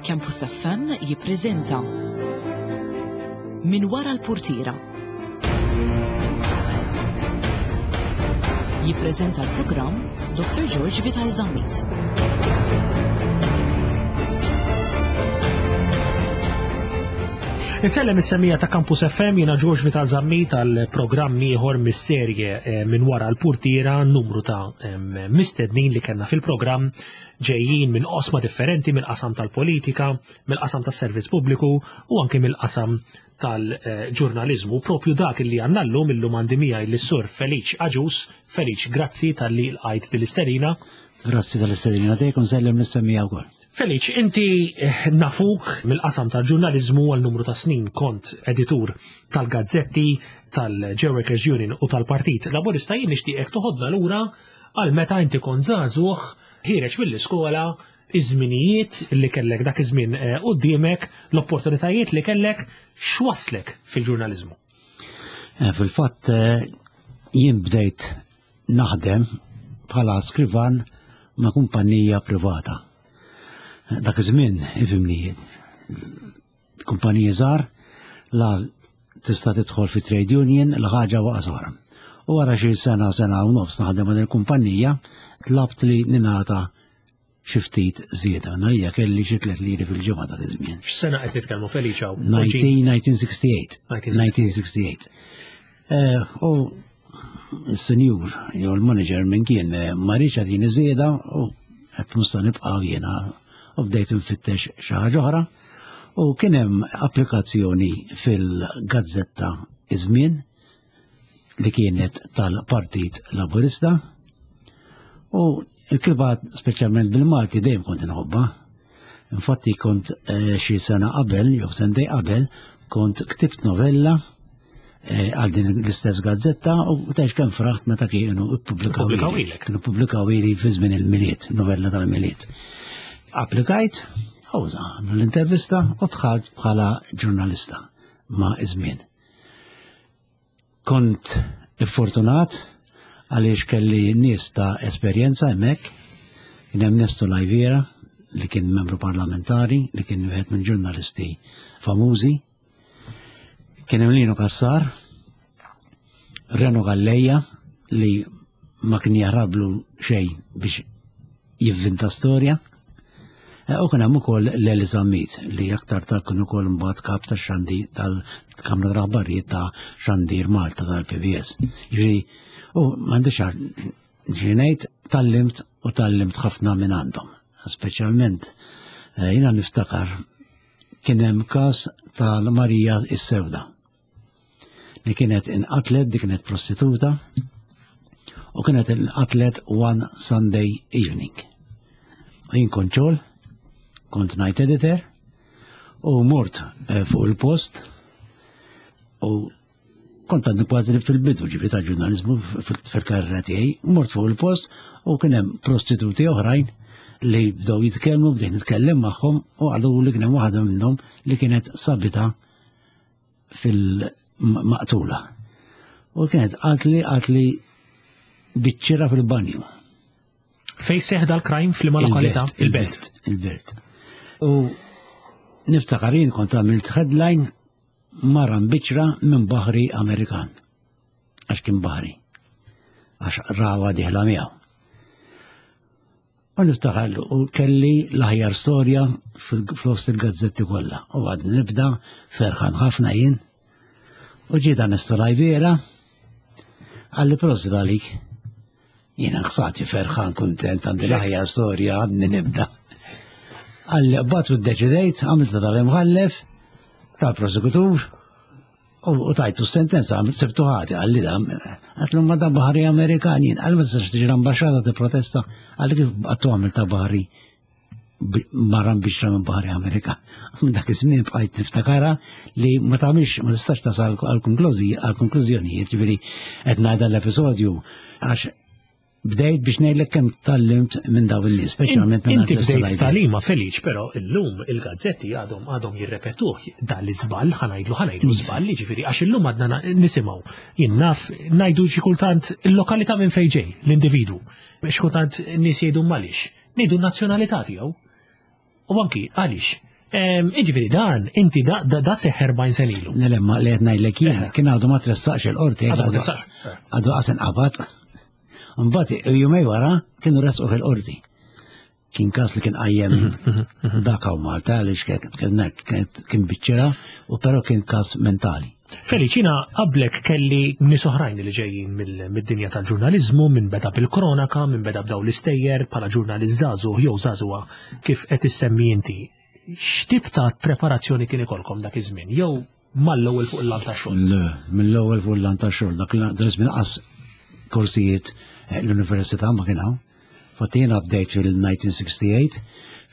Campus FM jippreżenta Min wara l-purtiera. Jippreżenta l-programm Dr. George Vital Zammit. Insellem is-semija ta' Campus FM jiena George Vital Zammit għal programm ieħor mis-serje eh, minn wara l-purtiera numru ta' mistednin li kellna fil-programm ġejjin minn qosma differenti mill-qasam tal-politika, mill-qasam tas-servizz pubbliku u anke mill-qasam tal-ġurnaliżmu. Propju dak li għandna llum illum għandi miegħi lis-sur Feliċ Aġus. Feliċ, grazzi talli lqajt din-istedina. Grazzi tal-istedina tiegħek u nsellem lis-semmiegħa wkoll. Feliċ, inti eh, nafuk mill-qasam tal-ġurnaliżmu għal numru ta' snin kont editur tal-gazzetti, tal-J Workers Union u tal-Partit Laburista jien nixtieqek toħodna lura għal meta inti kont żagħżugħ ħiereġ mill-iskola iż-żminijiet li kellek dak iż-żmien eh, quddiemek, l-opportunitajiet li kellek x'waslek fil-ġurnaliżmu. Eh, fil-fatt eh, jien bdejt naħdem bħala skrivan ma' kumpanija privata. Dak iż-żmien, ifhimni, kumpaniji żgħar la tista' tidħol fi trade union la ħaġa waqa' oħra. U wara xi sena sena u nofs naħdem ma' il-kumpanija, tlabt li ningħata xi ftit żieda. Narija kelli xi 3 liri fil-ġimgħa dak iż-żmien. X'sena qed nitkellmu Feliċ hawn? 1968. 1968. Eh, u s-senjur jew l-manager minn kien eh, ma rridx jagħtini żieda u qed musta nibqa' jiena u bdejt nfittex xi ħaġa oħra. U kien hemm applikazzjoni fil-gazzetta Iż-Żmien li kienet tal-Partit Laburista u l-kitba speċjalment bil-Malti dejjem kont inħobbha. Infatti kont eh, xi sena qabel jew sentej qabel kont ktibt novella eh, għal din l-istess gazzetta u tgħix kemm fraħt meta kienu ippubblikaw Kienu pubblikaw ili fi żmien il-Milied, novella tal-Milied. Applikajt, u l-intervista u dħalt bħala ġurnalista ma' iż-żmien. Kont iffortunat għaliex kelli nies ta' esperjenza hemmhekk. Kien hemm Nesto Lajviera li kien membru parlamentari, li kien wieħed minn ġurnalisti famużi. Kien hemm Lino Cassar, Reno Galleja li ma kien jaħrablu xejn biex jivvinta storja. Eh, u kien hemm ukoll Leli Zammit li aktar ta' kien ukoll mbagħad kap ta' xandi tal-Kamra tal-Aħbarijiet ta' Xandir Malta tal-PBS. Ġifieri, u m'għandix ġifieri ngħid tallimt u tallimt ħafna minn għandhom. Speċjalment eh, jiena niftakar kien hemm każ tal-Marija is-Sewda li kienet inqatlet, dik kienet prostituta, u kienet inqatlet one Sunday evening. U jien kont xogħol, kont night editor, u mort eh, fuq il-post, u kont għadni kważi fil-bidu ġifi ta' ġurnalizmu fil-karriera tiegħi, mort fuq il-post u kien hemm prostituti oħrajn li bdew jitkellmu, bdejt nitkellem magħhom u qalu li kien hemm waħda minnhom li kienet sabita fil-maqtula. U kienet għalt li għalt li biċċira fil-banju. Fej seħ dal-crime fl lokalità? Il-belt. Il-belt. U niftakar jien kont għamilt headline mara mbiċra minn baħri Amerikan. Għax kien baħri. Għax rawa diħla miegħu. U niftakar u kelli l-aħjar storja fl-fost il-gazzetti kollha. U għad nibda ferħan ħafna jien. U ġie dan Lajviera għalli prosit għalik. Jiena ħsati ferħan kuntent għandi l-aħjar storja għadni nibda. Għalli qbad u ddeċidejt, għamilt tal-imħallef, tal-prosekutur, U tajtu sentenza, sibtu ħati, għalli da, għatlu ma da baħri Amerikan, jien, għalli ma tistax tiġi l-ambasċata ti protesta, għalli kif għattu għamil ta' baħri barra biex minn baħri Amerikan. Minn dak iż-żmien bqajt niftakara li ma tagħmilx ma tistax tasal għal konklużjonijiet, ġifieri qed ngħidha l-episodju għax bdejt biex ngħidlek kemm tallimt minn daw in-nies, speċjalment minn Inti bdejt talima Feliċ, però illum il-gazzetti għadhom għadhom jirrepetuh dan l-iżball, ħa ngħidlu ħa ngħidlu żball, jiġifieri għax illum għadna nisimgħu. Jien naf ngħidu xi kultant il-lokalità minn fejn ġej, l-individwu. Xi kultant nies jgħidu m'għaliex. Ngħidu n-nazzjonalità tiegħu. U anki għaliex. Iġifieri dan, inti da, da, da seħ 40 sen ilu. Nelemma li qed ngħidlek jien, kien għadu ma tressaqx il-qorti, għadu qasen qabad. Mbagħad jumej wara kienu resqu fil-qorti. Kien każ li kien qajjem dak hawn Malta għaliex kien biċċera u però kien każ mentali. Feliċina, qablek kelli nies oħrajn li ġejjin mid-dinja tal-ġurnaliżmu, minn beda bil-kronaka, minn beda b'daw l-istejjer bħala ġurnalist żagħżugħ jew żagħżugħa kif qed issemmi inti. X'tip ta' preparazzjoni kien ikolkom dak iż-żmien? Jew mal-ewwel fuq il-lant tax-xogħol? Le, mill-ewwel fuq il-lant tax-xogħol. Dak il-żmien qas korsijiet eh, l-università ma kien hawn. Fatti jiena bdejt fil-1968,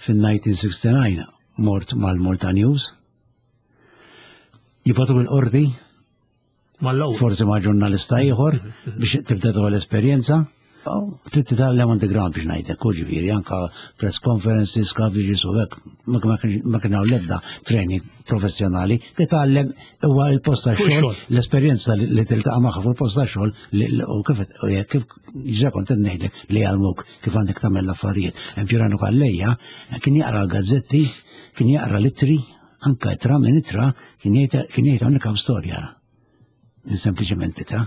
fil-1969 mort mal-Malta News. Jibatu bil-qorti, Forsi ma' ġurnalista ieħor biex tibda dwar l-esperjenza. Trid titgħallem on the ground biex ngħidlek, u ġifieri anka press conferences, coverages u hekk, ma kien hawn l-ebda training professjonali, titgħallem huwa l-post tax-xogħol, l-esperjenza li tiltaqa' magħha fuq il-post tax-xogħol u kif kif ġa kont qed ngħidlek li jgħallmuk kif għandek tagħmel l-affarijiet. Hemm Pirano Calleja kien jaqra l-gazzetti, kien jaqra l-ittri, Anka itra minn itra kien jgħid hawnhekk hawn storja. Minn sempliċement itra.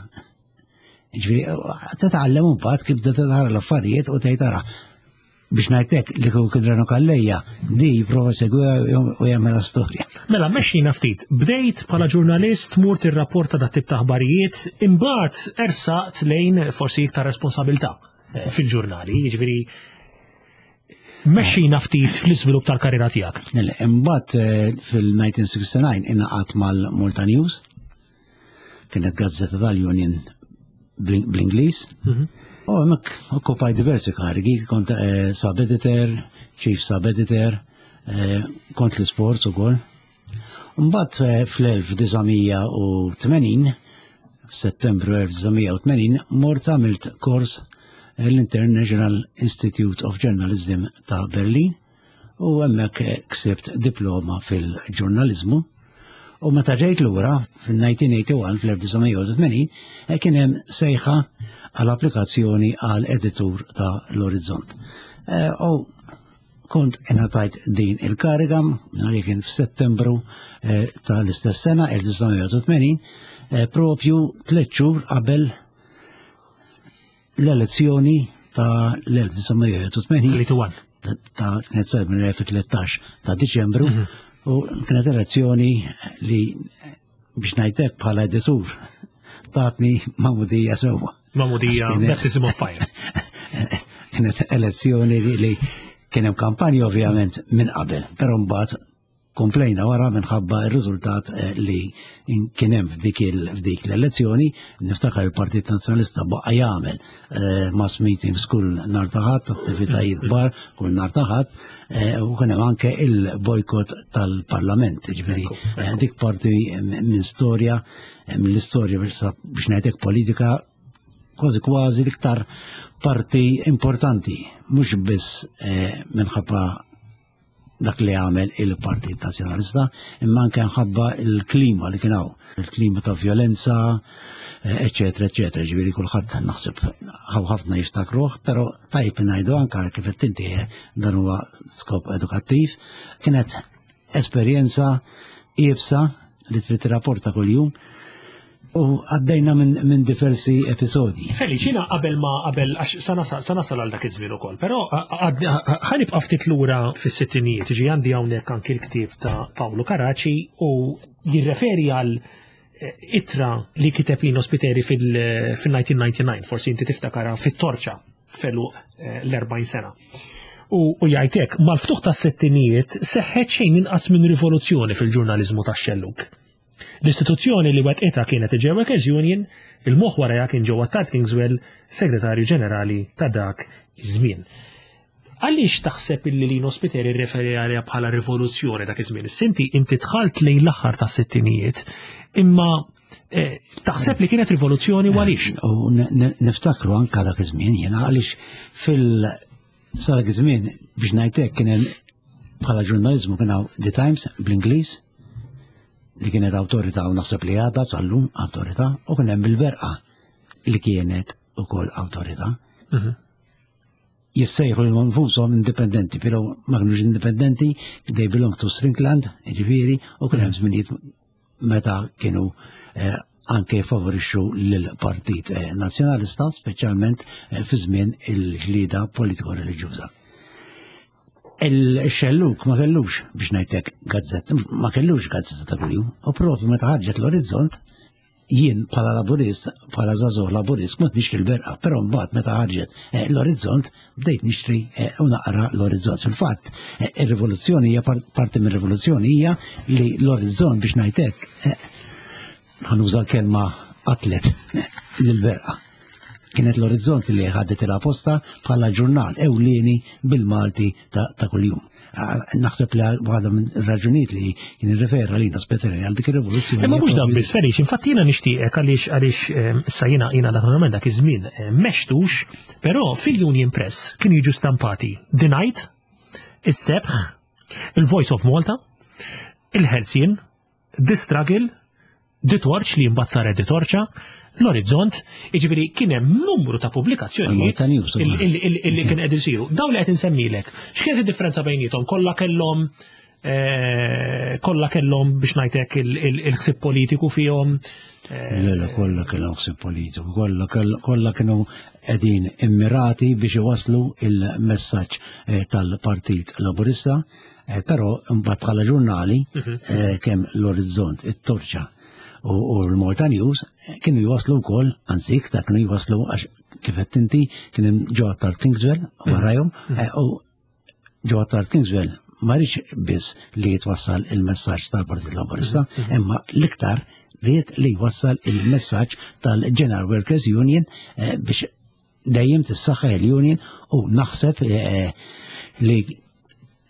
Ġifieri titgħallem imbagħad kif tara l-affarijiet u tgħid ara. Biex ngħidlek li kieku kien Reno Calleja di jipprova segwiha u jagħmilha storja. Mela mexxina ftit. Bdejt bħala ġurnalist mur tirrapporta dat tip ta' aħbarijiet, imbagħad ersaqt lejn forsi iktar responsabilità eh, fil-ġurnali, jiġifieri Mexxina ftit fl-iżvilupp tal-karriera tiegħek. Imbagħad eh, fil-1969 ingħaqad mal-Malta News, kienet gazzetta tal-Union bl-Ingliż. Mhm. U hemmhekk okkupaj diversi karigi, kont eh, sub-editor, chief sub-editor, eh, kont l-sports ukoll. Mbagħad fl-1980, f'Settembru 1980, mort għamilt kors l-International Institute of Journalism ta' Berlin u hemmhekk ksibt diploma fil-ġurnaliżmu. U meta ġejt lura fil-1981 fl-1981 kien hemm sejħa għal applikazzjoni għal editur ta' l-Orizzont. Eh, u Kont ingħatajt din il-kariga nhar kien f'Settembru eh, tal-istess sena 1981 eh, propju tliet xhur qabel l-elezzjoni ta' l-1981 ta' kienet sar minn 2013 ta' Diċembru mhm. u kienet elezzjoni li biex ngħidlek bħala editur tatni mamudija sewwa. Mamudija, baptism of fire. Kienet elezzjoni li kien hemm kampanja ovvjament minn qabel, però mbagħad komplejna wara minħabba r-riżultat eh, li kien hemm f'dik l-elezzjoni, niftakar il-Partit Nazzjonalista baqa' jagħmel eh, mass meetings kull nhar ta' Ħadd, attivitajiet kbar kull nhar ta' Ħadd, eh, u kien hemm anke il-bojkot tal-Parlament, ġifieri dik parti minn storja mill-istorja biex ngħidlek politika kważi kważi l-iktar parti importanti, mhux biss eh, minħabba dak li għamel il-Partit Nazzjonalista, imma anke nħabba il-klima li kien hawn, il-klima ta' violenza, eccetera, eccetera, ġifieri kulħadd naħseb hawn ħafna jiftakruh, però tajb ngħidu anke kif qed inti eh, dan huwa skop edukattiv, kienet esperjenza iebsa li trid tirrapporta kuljum u għaddejna minn min diversi episodji. Feliċina qabel ma qabel għax sa nasal għal dak iż-żmien ukoll, però ħanibqa' ftit lura fis-sittinijiet, ġi għandi hawnhekk anki l-ktieb ta' Paolo Caraci u jirreferi għal eh, ittra li kiteb Lino Spiteri fil-1999, forsi inti tiftakara fit-torċa felu eh, l-40 sena. U, u jgħidek, mal-ftuħ tas settinijiet seħħet xejn inqas minn rivoluzzjoni fil-ġurnaliżmu tax-xellug. L-istituzzjoni li wettqitha kienet il-J Workers Union, il-moħħ warajha kien Joe Attard Kingswell, Segretarju Ġenerali ta' dak iż-żmien. Għaliex taħseb illi Lino Spiteri rreferi għaliha bħala rivoluzzjoni dak iż-żmien? Sinti inti dħalt lejn l-aħħar tas-sittinijiet, imma eh, taħseb li kienet rivoluzzjoni u għaliex? U niftakru anka dak iż-żmien jiena għaliex fil sa dak iż-żmien biex ngħidlek kien hemm bħala ġurnaliżmu kien hawn The Times bl-Ingliż li kienet awtorità u naħseb li għadha sal-lum awtorità u kien hemm il-Berqa li kienet ukoll awtorità. Mhm. Jissejħu lilhom infushom indipendenti, però ma kinux indipendenti, they belong to Strickland, ġifieri, u kien hemm żminijiet meta kienu eh, anke favorixxu lill-Partit eh, Nazzjonalista, speċjalment eh, fi żmien il-ġlida politiko-reliġjuża. Il-xelluk ma kellux biex ngħidlek gazzetta, ma kellux gazzetta ta' kuljum, u propju meta ħarġet l-orizzont, jien bħala laburist, bħala żagħżugħ laburist, kont nixtri l-berqa, però mbagħad meta ħarġet eh, l-orizzont bdejt nixtri eh, u naqra l-orizzont. Fil-fatt, eh, ir-rivoluzzjoni hija parti mir-rivoluzzjoni hija li l-orizzont biex ngħidlek ħanuża l-kelma qatlet lill-berqa. Kienet l-orizzont li ħadet il-aposta bħala ġurnal ewlieni bil-Malti ta' kuljum. Naħseb li waħda minn raġunijiet li kien irrefera li Speteri għal dik ir-rivoluzzjoni. Imma mhux dan biss Felix, infatti jiena nixtieqek għaliex għaliex ehm, issa jiena jiena dak naturalment dak iż-żmien ehm, mextux, però fil-Union Press kienu jiġu stampati The Night, is-Sebħ, il-Voice of Malta, il-Ħelsien, The Struggle, The Torch li mbagħad saret The Torċa, l-Orizzont, jiġifieri kien hemm numru ta' pubblikazzjonijiet illi kien qed isiru. Dawn li qed insemmilek, x'kienet id-differenza bejniethom? Kollha kellhom eh, kollha kellhom biex ngħidlek il-ħsieb politiku fihom. Eh, le, le, kollha kellhom ħsieb politiku, kollha kienu qegħdin immirati biex iwasslu il-messaġġ eh, tal-Partit Laburista Eh, però mbagħad bħala ġurnali mhm. eh, kemm l-Orizzont, it-Torċa u l-Malta News eh, kienu jwaslu wkoll, anzi iktar kienu jwaslu għax kif qed inti kien hemm ġo Attard Kingswell mhm. warajhom mhm. u ġo Attard Kingswell ma rridx biss li jitwassal il-messaġġ tal-Partit Laburista, imma l-iktar ried li jwassal il-messaġġ tal-General Workers Union biex dejjem tissaħħaħ il-union u naħseb eh, li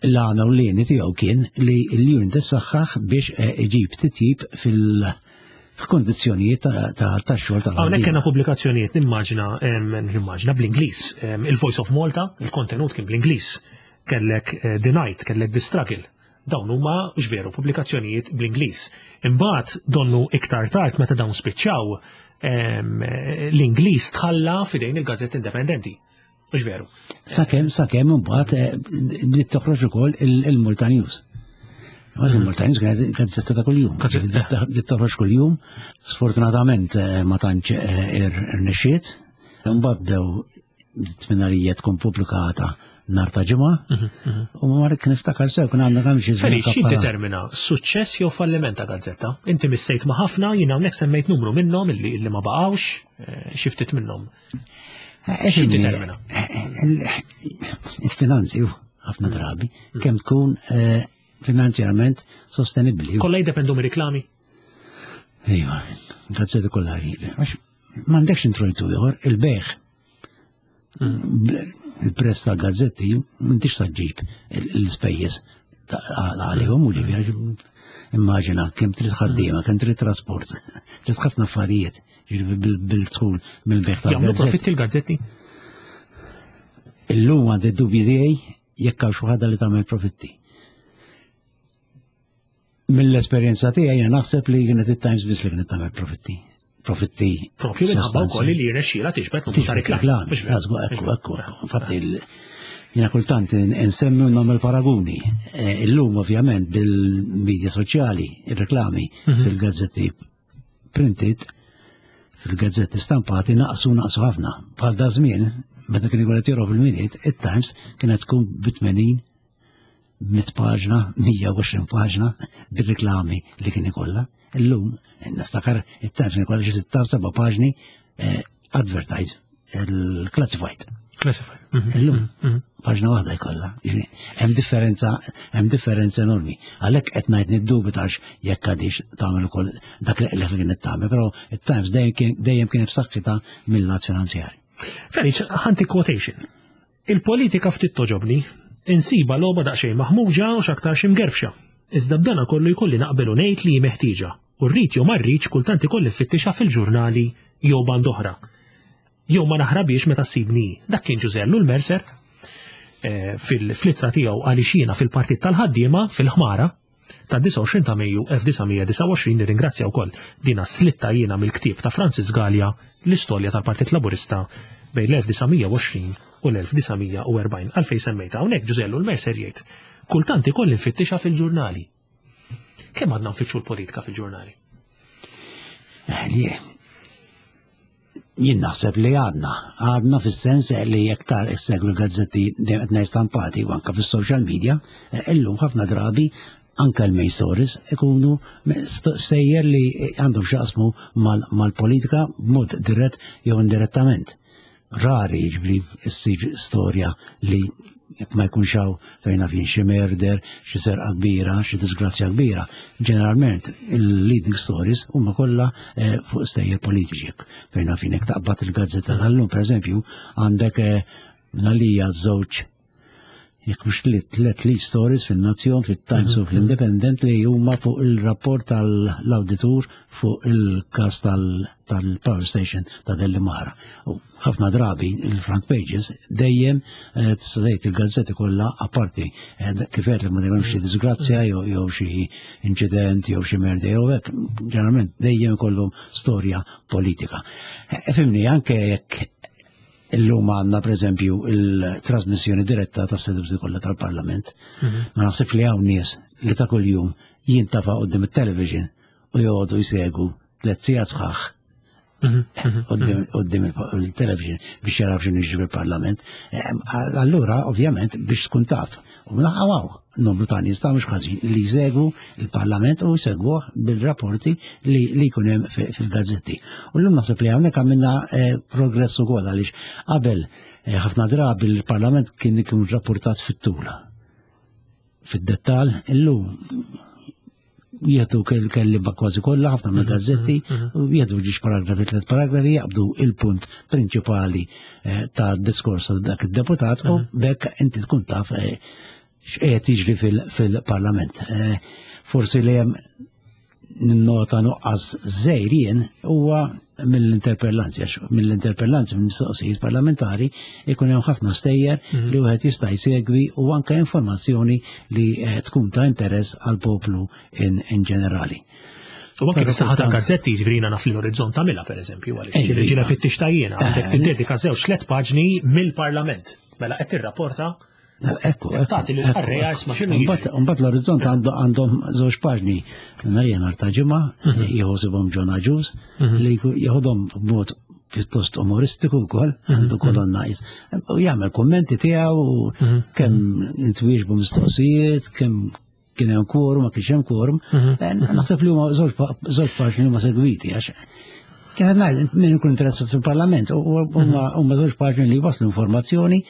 l-għana u l-lini tiegħu kien li l-union tissaħħaħ biex eh, iġib titjib fil- f'kondizzjonijiet ta' xogħol tal Hawnhekk kellna pubblikazzjonijiet nimmaġina nimmaġina bl-Ingliż. Il-Voice of Malta, il-kontenut kien bl-Ingliż. Kellek eh, The Night, kellek The Struggle. Dawn huma veru pubblikazzjonijiet bl-Ingliż. Imbagħad donnu iktar tard meta dawn spiċċaw l-Ingliż tħalla fidejn il-gazzetti indipendenti. Mhux veru. Sakemm sakemm imbagħad eh, bdiet toħroġ ukoll il-Malta News. Il-Malta News kienet gazzetta ta' kuljum. Bdiet toħroġ kuljum. Sfortunatament eh, ma tantx eh, irnexxiet. Imbagħad bdew tminarija tkun pubblikata nar ta' ġimgħa. Mhm, mhm. U ma rrid niftakar sew kien għandna kemm xi żmien. Xi determina suċċess jew falliment ta' gazzetta? Inti missejt ma' ħafna, jien hawnhekk semmejt numru minnhom illi ma baqgħux, eh, xi ftit minnhom. Eh, xi determina? Eh, il-finanzi ħafna drabi mm. kemm tkun finanzjarment sostenibbli. Kollha jiddependu mir-riklami? Iva, gazzetti kollha M'għandekx introjtu ieħor, il-beħ. Il-prezz tal-gazzetti m'intix ġib l-ispejjeż għalihom u ġifieri immaġina kemm trid ħaddiema, kemm trid trasport, trid ħafna affarijiet bil-dħul mill-beħ tal-gazzetti. Jagħmlu profitti l-gazzetti? Illum għandi dubji tiegħi jekk hawn xi ħadd li tagħmel profitti. Mill-esperjenza tiegħi jiena naħseb li kienet it-Times biss li kienet tagħmel profitti. Profitti. Propju minħabba wkoll li jirnexxiela tiġbed numru ta' reklami. Ekku, ekku, Infatti jiena kultant insemmi u nagħmel paraguni. E, illum ovvjament bil-medja soċjali, ir-reklami mhm. fil-gazzetti printed, fil-gazzetti stampati naqsu naqsu ħafna. Bħal da żmien, meta kien ikun qed joqrob il-Milied, it-Times kienet tkun bi 80 mit paġna, 120 paġna bir-reklami li kien ikollha. Illum, niftakar it-Times kien ikollha xi sitta seba' paġni eh, advertise, il-classified. Classified. Mhm. Illum, mhm. paġna waħda jkollha. Hemm differenza, hemm differenza enormi. Għalhekk qed ngħid niddubitax jekk għadix tagħmel ukoll dak li kienet tagħmel, però it-Times dejjem kien b'saħħitha mill-lat finanzjarju. Felix, ħanti quotation. Il-politika ftit togħġobni. Insibha logħba daqsxejn maħmuġa u x'aktarx imgerfxa. Iżda b'dana kollu jkolli naqbel u ngħid li hi meħtieġa, u rrid jew ma rridx kultant ikolli nfittixha fil-ġurnali jew band'oħra. Jew ma naħrabhiex meta ssibni hi. Dak kien Ġużè Ellul Mercer eh, fil-ittra tiegħu għaliex jiena fil-Partit tal-Ħaddiema fil-Ħmara ta' 29 ta' Mejju 1929 nirringrazzja wkoll dina slitta jiena mill-ktieb ta' Francis Galea l-istorja tal-Partit Laburista bejn l-1920 u l-1940. Għalfejn semmejta hawnhekk Ġużè Ellul Mercer jgħid, kultant ikolli nfittixha fil-ġurnali. Kemm għadna nfittxu l-politika fil-ġurnali? Eh, jien naħseb li għadna, għadna fis-sens li jekk tar issegwi l-gazzetti dejjem qed ngħid stampati u anke fis-social media, eh, illum ħafna drabi anke l-main stories ikunu stejjer li għandhom x'jaqsmu mal-politika b'mod dirett jew indirettament. Rari jiġri ssir storja li jekk ma jkunx hawn fejn naf jien xi murder, xi serqa kbira, xi disgrazzja kbira. Ġeneralment il-leading stories huma kollha eh, fuq stejjer politiċi. Fejn naf jien jekk taqbad il-gazzetta tal-lum, pereżempju, għandek eh, għalija żewġ jekk mhux tliet lead stories fin-Nazzjon, fit-Times u fl-Independent li huma fuq il-rapport tal-awditur fuq il-każ tal-power station ta' Dellimara. U ħafna drabi il-front pages dejjem eh, tista' tgħid il-gazzetti kollha apparti eh, kif qed li ma dejjem xi disgrazzja jew xi inċident jew xi merda jew hekk, ġeneralment dejjem ikollhom storja politika. Eh, fimni anke jekk Illum għandna pereżempju il-trasmissjoni diretta tas seduti kollha tal-Parlament. Mhm. Ma naħsibx li hawn nies li ta' kuljum jintafa' qudiem it-television u joqogħdu jsegu tliet sigħat sħaħ mhm, mhm, qudiem il-television biex jaraw x'inhu jiġri fil-Parlament. Allura, ovvjament, biex tkun taf. U naħawaw numru ta' nies ta' mhux ħażin li jsegwu il-Parlament u jsegwuh bil-rapporti li li jkun hemm fil-gazzetti. U llum naħseb li hawnhekk għamilna eh, progress ukoll għaliex qabel eh, ħafna drabi l-Parlament kien ikun rapportat fit-tul. Fid-dettall, illum jieħdu kelliba kważi kollha ħafna mill gazzetti mhm, mhm. u jieħdu ġiex paragrafi tliet paragrafi jaqbdu il-punt prinċipali eh, ta' diskors ta' dak id-deputat u mhm. bekk inti tkun taf eh, x'qiegħed jiġri fil-parlament. Eh, forsi li hemm ninnota nuqqas żejr jien huwa mill-interpellanzi, għax mill-interpellanzi mill-mistoqsijiet parlamentari ikun hemm ħafna stejjer mhm. li wieħed jista' jsegwi u anke informazzjoni li eh, tkun ta' interess għal poplu in, in ġenerali. U anke bis-saħħa tal-gazzetti jiġifieri naf li l-orizzont tagħmilha pereżempju għaliex eh, ġiela fit tajjena għandek eh, tiddedika żewġ tliet paġni mill-Parlament. Mela qed tirrapporta Ekku, Tagħti lil qarrejja isma' x'inhu jiġri. Mbagħad l-orizzont għandhom żewġ paġni nhar nhar ta' ġimgħa mhm. jħosibhom John Agius mhm. li jieħodhom b'mod pjuttost umoristiku wkoll, mhm. għandu kolonna jis. U jagħmel kummenti tiegħu kemm intwieġbu mistoqsijiet, kemm kien hemm quorum, ma kienx hemm quorum. Eh, naħseb li huma żewġ paġni huma segwiti għax kif qed ngħid min ikun interessat fil-Parlament u huma żewġ paġni li waslu informazzjoni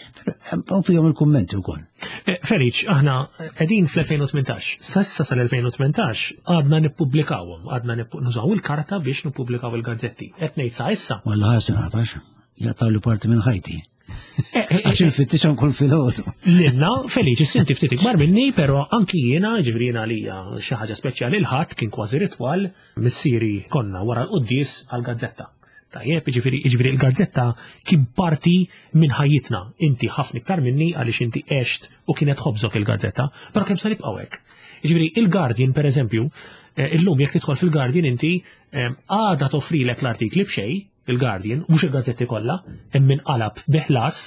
u fihom il-kummenti wkoll. Eh, Feliċ, aħna qegħdin fl-2018. Sassa sal-2018 għadna nippubblikawhom, għadna nużaw il-karta biex nippubblikaw il-gazzetti. Qed ngħid sa issa. Walla ħarsi nagħtax, jaqtaw li parti minn ħajti. Eh, eh, Għax infittixhom kull filgħodu. Lilna, Feliċi, sinti ftit ikbar minni, però anki jiena, ġifieri jiena għalija xi ħaġa speċjali l-ħadd kien kważi ritwal missieri konna wara l-quddies għall-gazzetta. Tajjeb, ġifieri ġifieri l-gazzetta kien parti minn ħajjitna. Inti ħafna iktar minni għaliex inti għext u kienet ħobżok il-gazzetta, però kemm se nibqgħu hekk. Ġifieri il-Guardian pereżempju, eh, illum jekk tidħol fil-Guardian inti għada toffrilek l-artikli b'xejn, il-Guardian, mhux il-gazzetti kollha, hemm min qalab bi ħlas,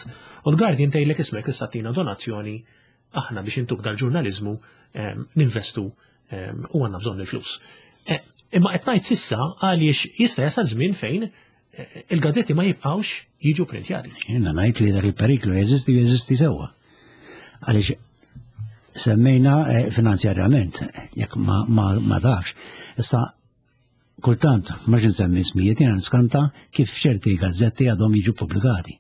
u l-Guardian tgħidlek ismek issa tina donazzjoni aħna biex intuk dal-ġurnaliżmu ehm, ninvestu ehm, u għandna bżonn il-flus. Eh, imma qed ngħid sissa għaliex jista' jasal żmien fejn eh, il-gazzetti ma jibqgħux jiġu printjati. Jiena ngħid li dak il-periklu jeżisti jeżisti sewwa. Għaliex semmejna eh, finanzjarjament, jekk ma, ma, ma tafx. Issa Kultant, mhux insemmi ismijiet, jiena niskanta kif ċerti gazzetti għadhom jiġu pubblikati.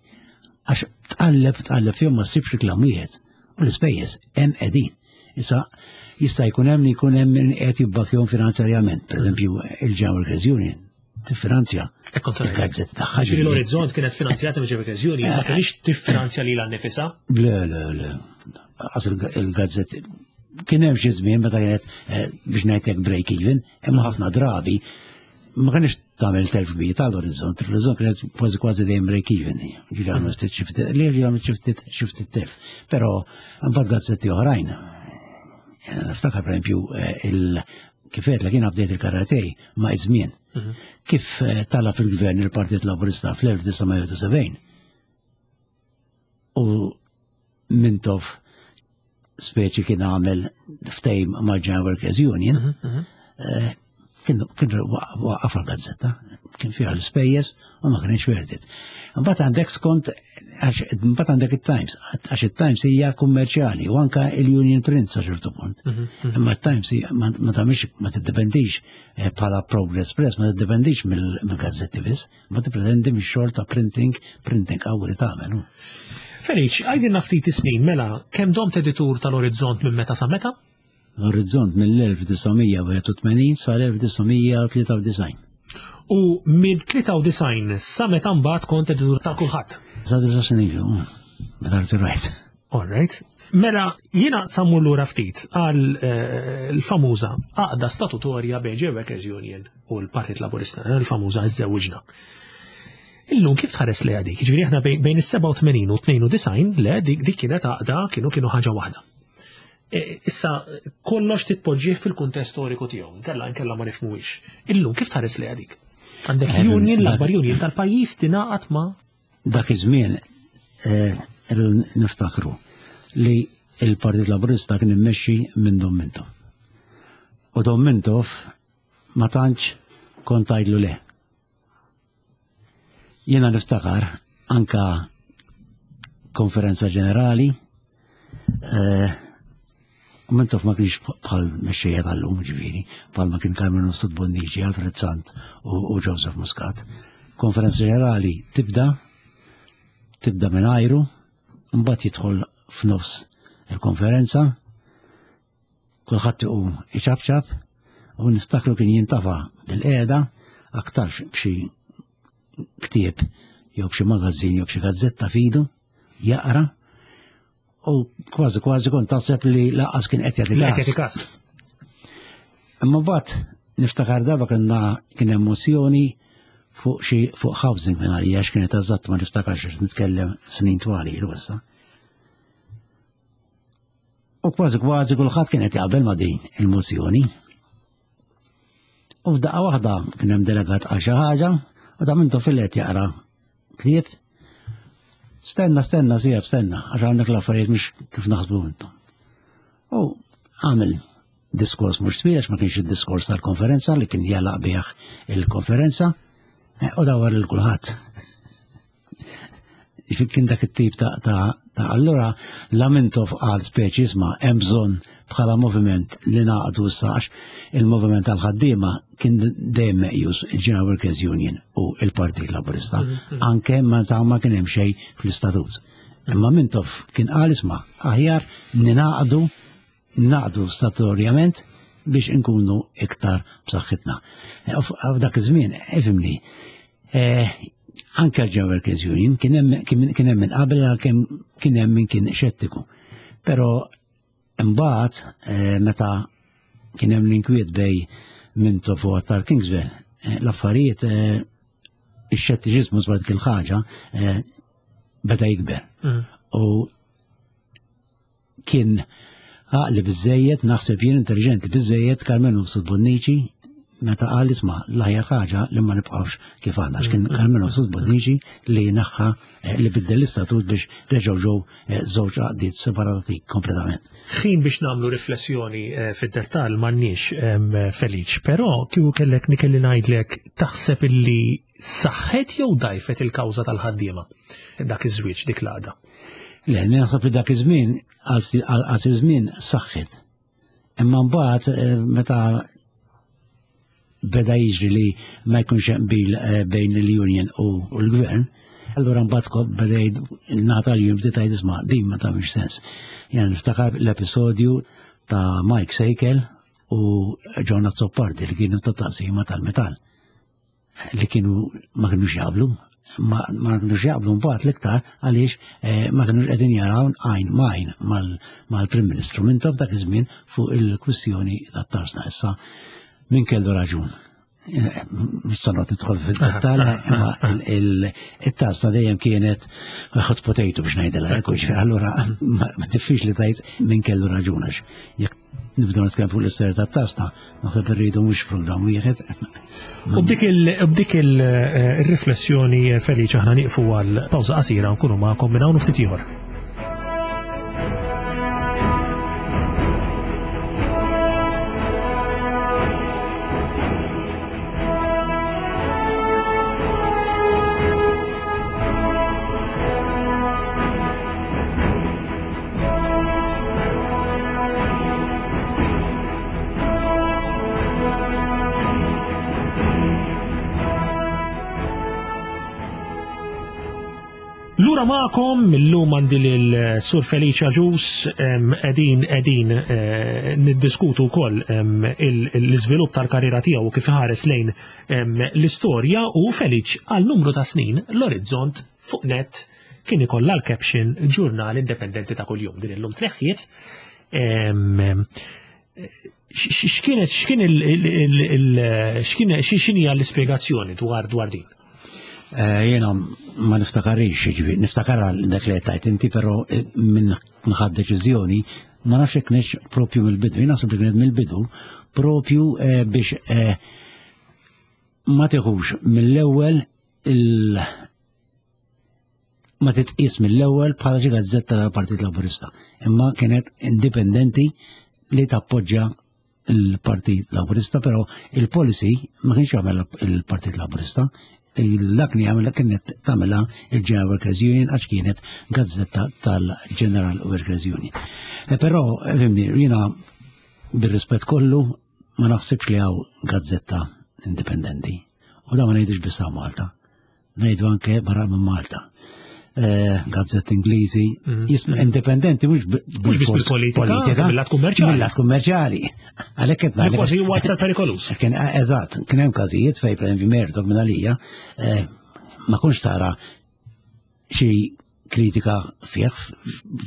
Għax tqalleb tqalleb fihom ma ssibx reklam wieħed. U l-ispejjeż hemm qegħdin. Issa jista' jkun hemm li jkun hemm min qed jibbakjhom finanzjarjament. Pereżempju, il-General Workers Union tiffinanzja il-gazzetta tagħha. Ġifieri l-Orizzont kienet finanzjata mill Workers Union, ma kienx tiffinanzja lilha nnifisha? Le, le, le. Qas il-gazzetti kien hemm xi żmien meta kienet eh, biex ngħidlek break even, Imma ħafna drabi ma kienx tagħmel telf kbir tal-orizzont, l-orizzont kienet kważi kważi dejjem break even. Ġieli għamlu ftit xi ftit, li għamlu xi ftit xi ftit telf. Però mbagħad gazzetti oħrajn. Niftakar pereżempju eh, il kif qed li kien bdejt il-karate ma' iż-żmien. Mhm. Kif eh, tala fil-gvern il-Partit Laburista fl-1970. u Mintoff speċi kien għamel ftejm mal-General Workers Union, mhm, mhm. eh, kien waqaf għal-gazzetta, kien fiha l-ispejjeż u ma kienx wertit. Mbagħad għandek skont għax mbagħad għandek it-Times, għax it-Times hija kummerċjali u anka il-Union Print sa ċertu punt. Mhm, Imma t-Times ma tagħmilx ma tiddependix eh, bħala Progress Press, ma tiddependix mill-gazzetti biss. Ma tippretendi mix-xogħol ta' printing, printing qawwi li tagħmel. Feliċ, għajdilna ftit is-snin mela kemm domt editur tal-Orizzont minn meta sa meta? L-Orizzont mill-1981 sal-1993. U mill-93 sa meta mbagħad kont editur ta' kulħadd? Sa disa snin ilu, meta rtirajt. All right. Mela, jiena sammur lura ftit għal eh, l-famuża għaqda statutorja bejn Workers Union u l-Partit Laburista, eh, l-famuża żewġna. Illum kif tħares li għadik? Ġifieri aħna bejn is-87 u 92 le dik dik kienet għaqda kienu kienu ħaġa waħda. E, issa kollox titpoġġih fil-kuntest storiku tiegħu, nkella nkella ma nifhmuhiex. Illum kif tħares li għadik? Għandek eh, union, l-akbar union tal-pajjiż tingħaqad ma' Dak iż-żmien eh, irridu niftakru li il-Partit Laburista kien immexxi minn Dom Mintoff. U Dom Mintoff ma tantx kont tgħidlu le. Jiena niftakar anka konferenza ġenerali eh, Mintoff ma kienx bħal mexxejja tal-lum, ġifieri, bħal ma kien Carmen Mifsud Bonnici, Alfred Sant u Joseph Muscat. Konferenza ġenerali tibda, tibda minn ajru, mbagħad jidħol f'nofs il-konferenza, kulħadd iqum iċabċab, u niftakru kien jintafa bil-qiegħda aktarx b'xi ktieb jew b'xi magazzin jew b'xi gazzetta fidu, jaqra, U kważi kważi kont taħseb li laqas kien qed jagħti każ. Imma mbagħad niftakar darba kienna kien hemm mozzjoni fuq xi fuq housing minn għalija x'kienet eżatt ma niftakarx nitkellem snin twali ilu issa. U kważi kważi kulħadd kien qed jaqbel ma' din il-mozzjoni. U f'daqqa waħda kien hemm delegat għal xi ħaġa u da mintu fil-qed jaqra ktieb. Stenna, stenna, sijab, stenna, għax hawnhekk l-affarijiet mhux kif naħsbu intom. U għamel diskors mhux twil għax ma kienx id-diskors tal-konferenza li kien jalaq bih il-konferenza eh, u dawar lil kulħadd. Kien dak it-tip ta' ta' ta' allura Lamentov qal speċi isma' hemm bżonn bħala moviment li naqdu issa għax il-moviment tal-ħaddiema kien dejjem meqjus il-General Workers Union u il-Partit Laburista, mm-hmm. anke meta ma kien hemm xejn fl-istatut. Imma Mintoff kien qal isma' aħjar ninaqdu naqdu statutorjament biex inkunu iktar b'saħħitna. Eh, f'dak iż-żmien, ifimni, eh, anke l-General Workers Union kien hemm minn qabel kien hemm min kien xettiku. Però imbagħad eh, meta kien hemm l-inkwiet bej Mintoff u Attar Kingswell, l-affarijiet ix-xettiċiżmu dwar dik il-ħaġa beda jikber. Mm. U Kien għaqli biżżejjed, naħseb jien intelliġenti biżżejjed Carmenu Mifsud Bonnici meta qal isma' l-aħjar ħaġa li ma nibqgħux kif aħna għax kien Carmenu Mifsud Bonnici li naħħa eh, li biddel l-istatut biex reġgħu ġew eh, żewġ għaqdiet separati kompletament. Ħin biex nagħmlu riflessjoni eh, fid-dettall m'għandniex Feliċ, però kieku kellek nikelli ngħidlek taħseb illi saħħet jew dajfet il-kawża tal-ħaddiema dak iż-żwieġ dik l-għaqda? Le, naħseb li dak iż-żmien għal qasir żmien saħħet. Imma mbagħad eh, meta beda jiġri li ma jkunx hemm qbil eh, bejn il-union u l-gvern, allura mbagħad beda nagħta l-union bdiet tgħid isma' din ma tagħmilx sens. Jena niftakar l-episodju ta' Mike Sejkel u John Azzopardi li kienu ta' taqsima tal-metall. li kienu ma kienux jaqblu, ma kienux jaqblu mbagħad l-iktar għaliex eh, ma kienux qegħdin jaraw għajn m'għajn mal-Prim Ministru minn taf dak iż-żmien fuq il-kwistjoni tat-tarsna issa min kellu raġun. Eh, mhux se noqgħod nidħol fid-dettall, imma il-tarsna dejjem kienet hot potato biex ngħidilha, allura ma diffiċli tgħid min kellu raġun għax jekk. nibdew nitkellem fuq l-istorja tat-tasna, naħseb irridu mhux programm wieħed. U b'dik il-riflessjoni eh, Feliċ aħna nieqfu għal pawża qasira nkunu magħkom minn hawn ftit ieħor. Lura magħkom illum għandi lil Sur Felicia Ġus qegħdin qegħdin eh, niddiskutu wkoll l-iżvilupp tal-karriera tiegħu kif ħares lejn l-istorja u Feliċ għal numru ta' snin l-orizzont fuq net kien ikollha l-caption ġurnal indipendenti ta' kuljum din illum tneħħiet. X'kienet x'kien il x'kien x'inhi l-ispjegazzjoni dwar dwar din? Eh, jiena ma niftakarix, jiġifieri, niftakar dak li tajt inti, però eh, minn ħadd deċiżjoni ma nafx jekk kienx propju mill-bidu, jien naħseb li kienet mill-bidu propju eh, biex ma tiħux mill-ewwel il ma titqis mill-ewwel bħala xi gazzetta tal-Partit Laburista, imma kienet indipendenti li tappoġġja il-Partit Laburista, però il-policy ma kienx jagħmel il-Partit Laburista, dak li jagħmel kienet tagħmilha il-General Workers Union għax kienet gazzetta tal-General Workers Union. E però, fimni, jiena bir-rispett kollu ma naħsibx li hawn gazzetta indipendenti. U da ma ngħidux biss Malta. Ngħidu anke barra minn Malta. Eh, gazzett Ingliżi, mhm. jismu indipendenti mhux biss bil-politika, mill-lat kummerċjali. Mill-lat kummerċjali. Għalhekk qed ngħid. Kważi huwa aktar perikoluż. Kien eh, eżatt, kien hemm każijiet fejn pereżempju Murdoch minn għalija eh, ma kunx tara xi kritika fih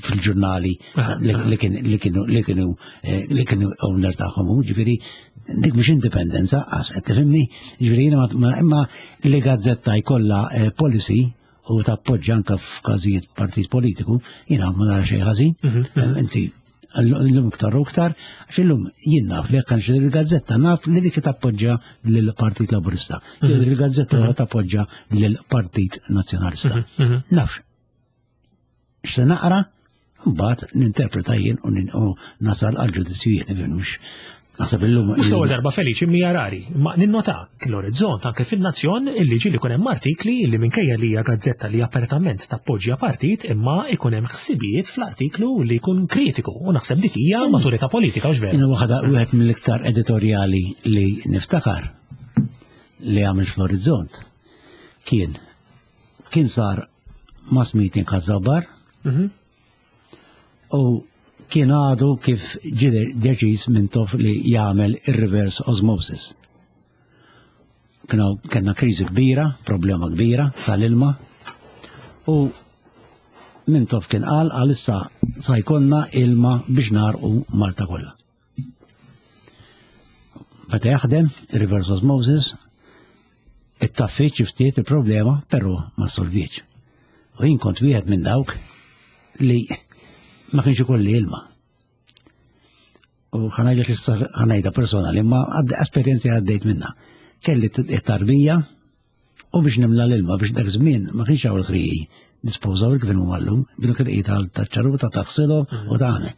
fil-ġurnali ah, ah. li kienu li kienu eh, li kienu owner tagħhom, ġifieri dik mhux indipendenza, qas qed tifhimni, ġifieri jiena imma li gazzetta jkollha eh, policy u tappoġġa anke f'każijiet partit politiku, jiena ma nara xejn ħażin. Mhm, mhm. Eh, inti l-lum iktar u iktar, għax illum jien naf li jekk nxtri il-gazzetta naf li dik tappoġġa lill-Partit Laburista. Mhm. Il-gazzetta mhm. tappoġġa lill-Partit Nazzjonalista. Mhm, naf x'se naqra, mbagħad ninterpreta jien u nasal għal ġudizzju jien mhux Naħseb illum. Mhux l-ewwel darba feliċi mija rari, ma ninnota l-orizzont anke fin-nazzjon illi ġieli jkun hemm artikli li minkejja li hija gazzetta li apertament tappoġġja partit imma ikun hemm ħsibijiet fl-artiklu li jkun kritiku u naħseb dik hija maturità politika u Jiena waħda wieħed mill-iktar editorjali li niftakar li għamil fl-orizzont kien kien sar mass meeting ħażabar mhm. U kien għadu kif ġie deċiż Mintoff li jagħmel ir-reverse osmosis. Kienu kellna kriżi kbira, problema kbira tal-ilma. U Mintoff kien qal għalissa sa jkollna ilma biex narqu Malta kollha. Meta jaħdem reverse osmosis, it-taffiċ ftit il-problema, però ma solviċ. U jien kont wieħed minn dawk li ma kienx ikolli ilma. U ħanajda ħanajda personali, ma esperjenzi għaddejt minna. Kelli t-tarbija u biex nimla l-ilma biex dak żmien ma kienx hawn il-ħriji disposable kif huma llum, bil-ħriji tal-ċaruta taħsilhom u tagħmel.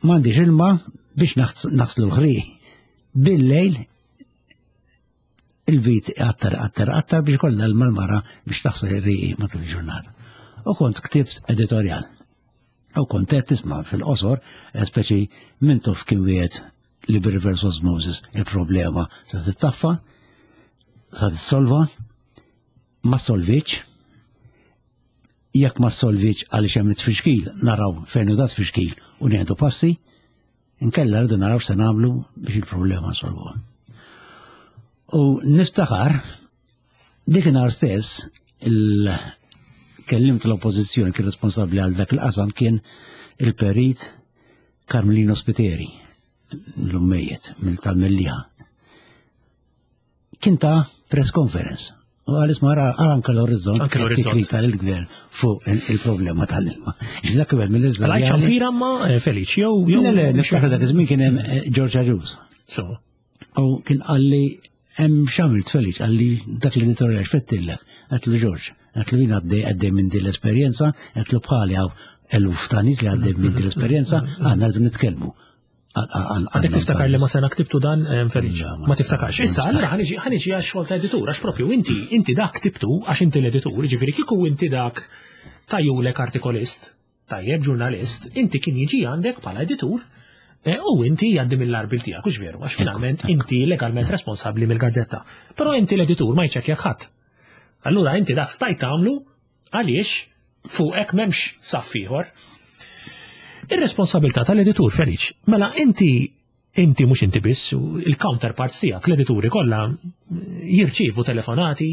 M'għandix ilma biex naħslu l-ħriji. Bil-lejl il-vit għattar, għattar, għattar biex kollha l-malmara biex taħsel ir-riqi matul il-ġurnata. U kont ktibt editorjal. U kont qed tisma' fil-qosor, eh, speċi Mintoff kien wieħed li bir-reverse osmosis il-problema se tittaffa, se tissolva, ma solviċ, jekk ma solviċ għaliex hemm it-tfixkil, naraw fejn hu dat tfixkil u nieħdu passi, Inkella rridu naraw se nagħmlu biex il-problema nsolvuha. U niftakar dik nhar stess il-kellim tal-oppożizzjoni kien responsabbli għal dak il-qasam kien il-perit Carmelino Spiteri, l-ummejiet mill tal-Mellija. Kien ta' press conference. U għal isma ara anke l-orizzont. Anke l-orizzont. Tikrita l-gvern fuq il-problema tal-ilma. Dak gvern mill-iżda. Għal ċanfira ma eh, Feliċ, jew jew. Le, le, niftakar dak iż-żmien kien hemm eh, George Agius. So. U kien qalli hemm x'għamilt Feliċ, qalli dak l-editorjal x'fettillek. Għedtlu George, għedtlu jien għaddej għaddej minn din l-esperjenza, għedtlu bħali hawn eluf ta' nies li għaddej minn din l-esperjenza, aħna rridu nitkellmu. Għadek tiftakar li ma sena ktibtu dan, eh, Feliċ? Ma tiftakarx. Issa, allura ħaniġi għax xogħol ta' editur, għax propju inti, inti dak ktibtu għax inti l-editur, ġifieri kieku inti dak tajulek artikolist, tajjeb ġurnalist, inti kien jiġi għandek bħala editur eh, u inti għaddi mill-arbil tiegħek, hux veru, għax finalment inti legalment responsabbli mill-gazzetta. Però inti l-editur ma jċekkjak ħadd. Allura inti dak stajt tagħmlu għaliex fuqek m'hemmx saff ieħor. Ir-responsabilità tal-editur Feliċ, mela inti inti mhux inti biss, il-counterparts tiegħek, l-edituri kollha jirċievu telefonati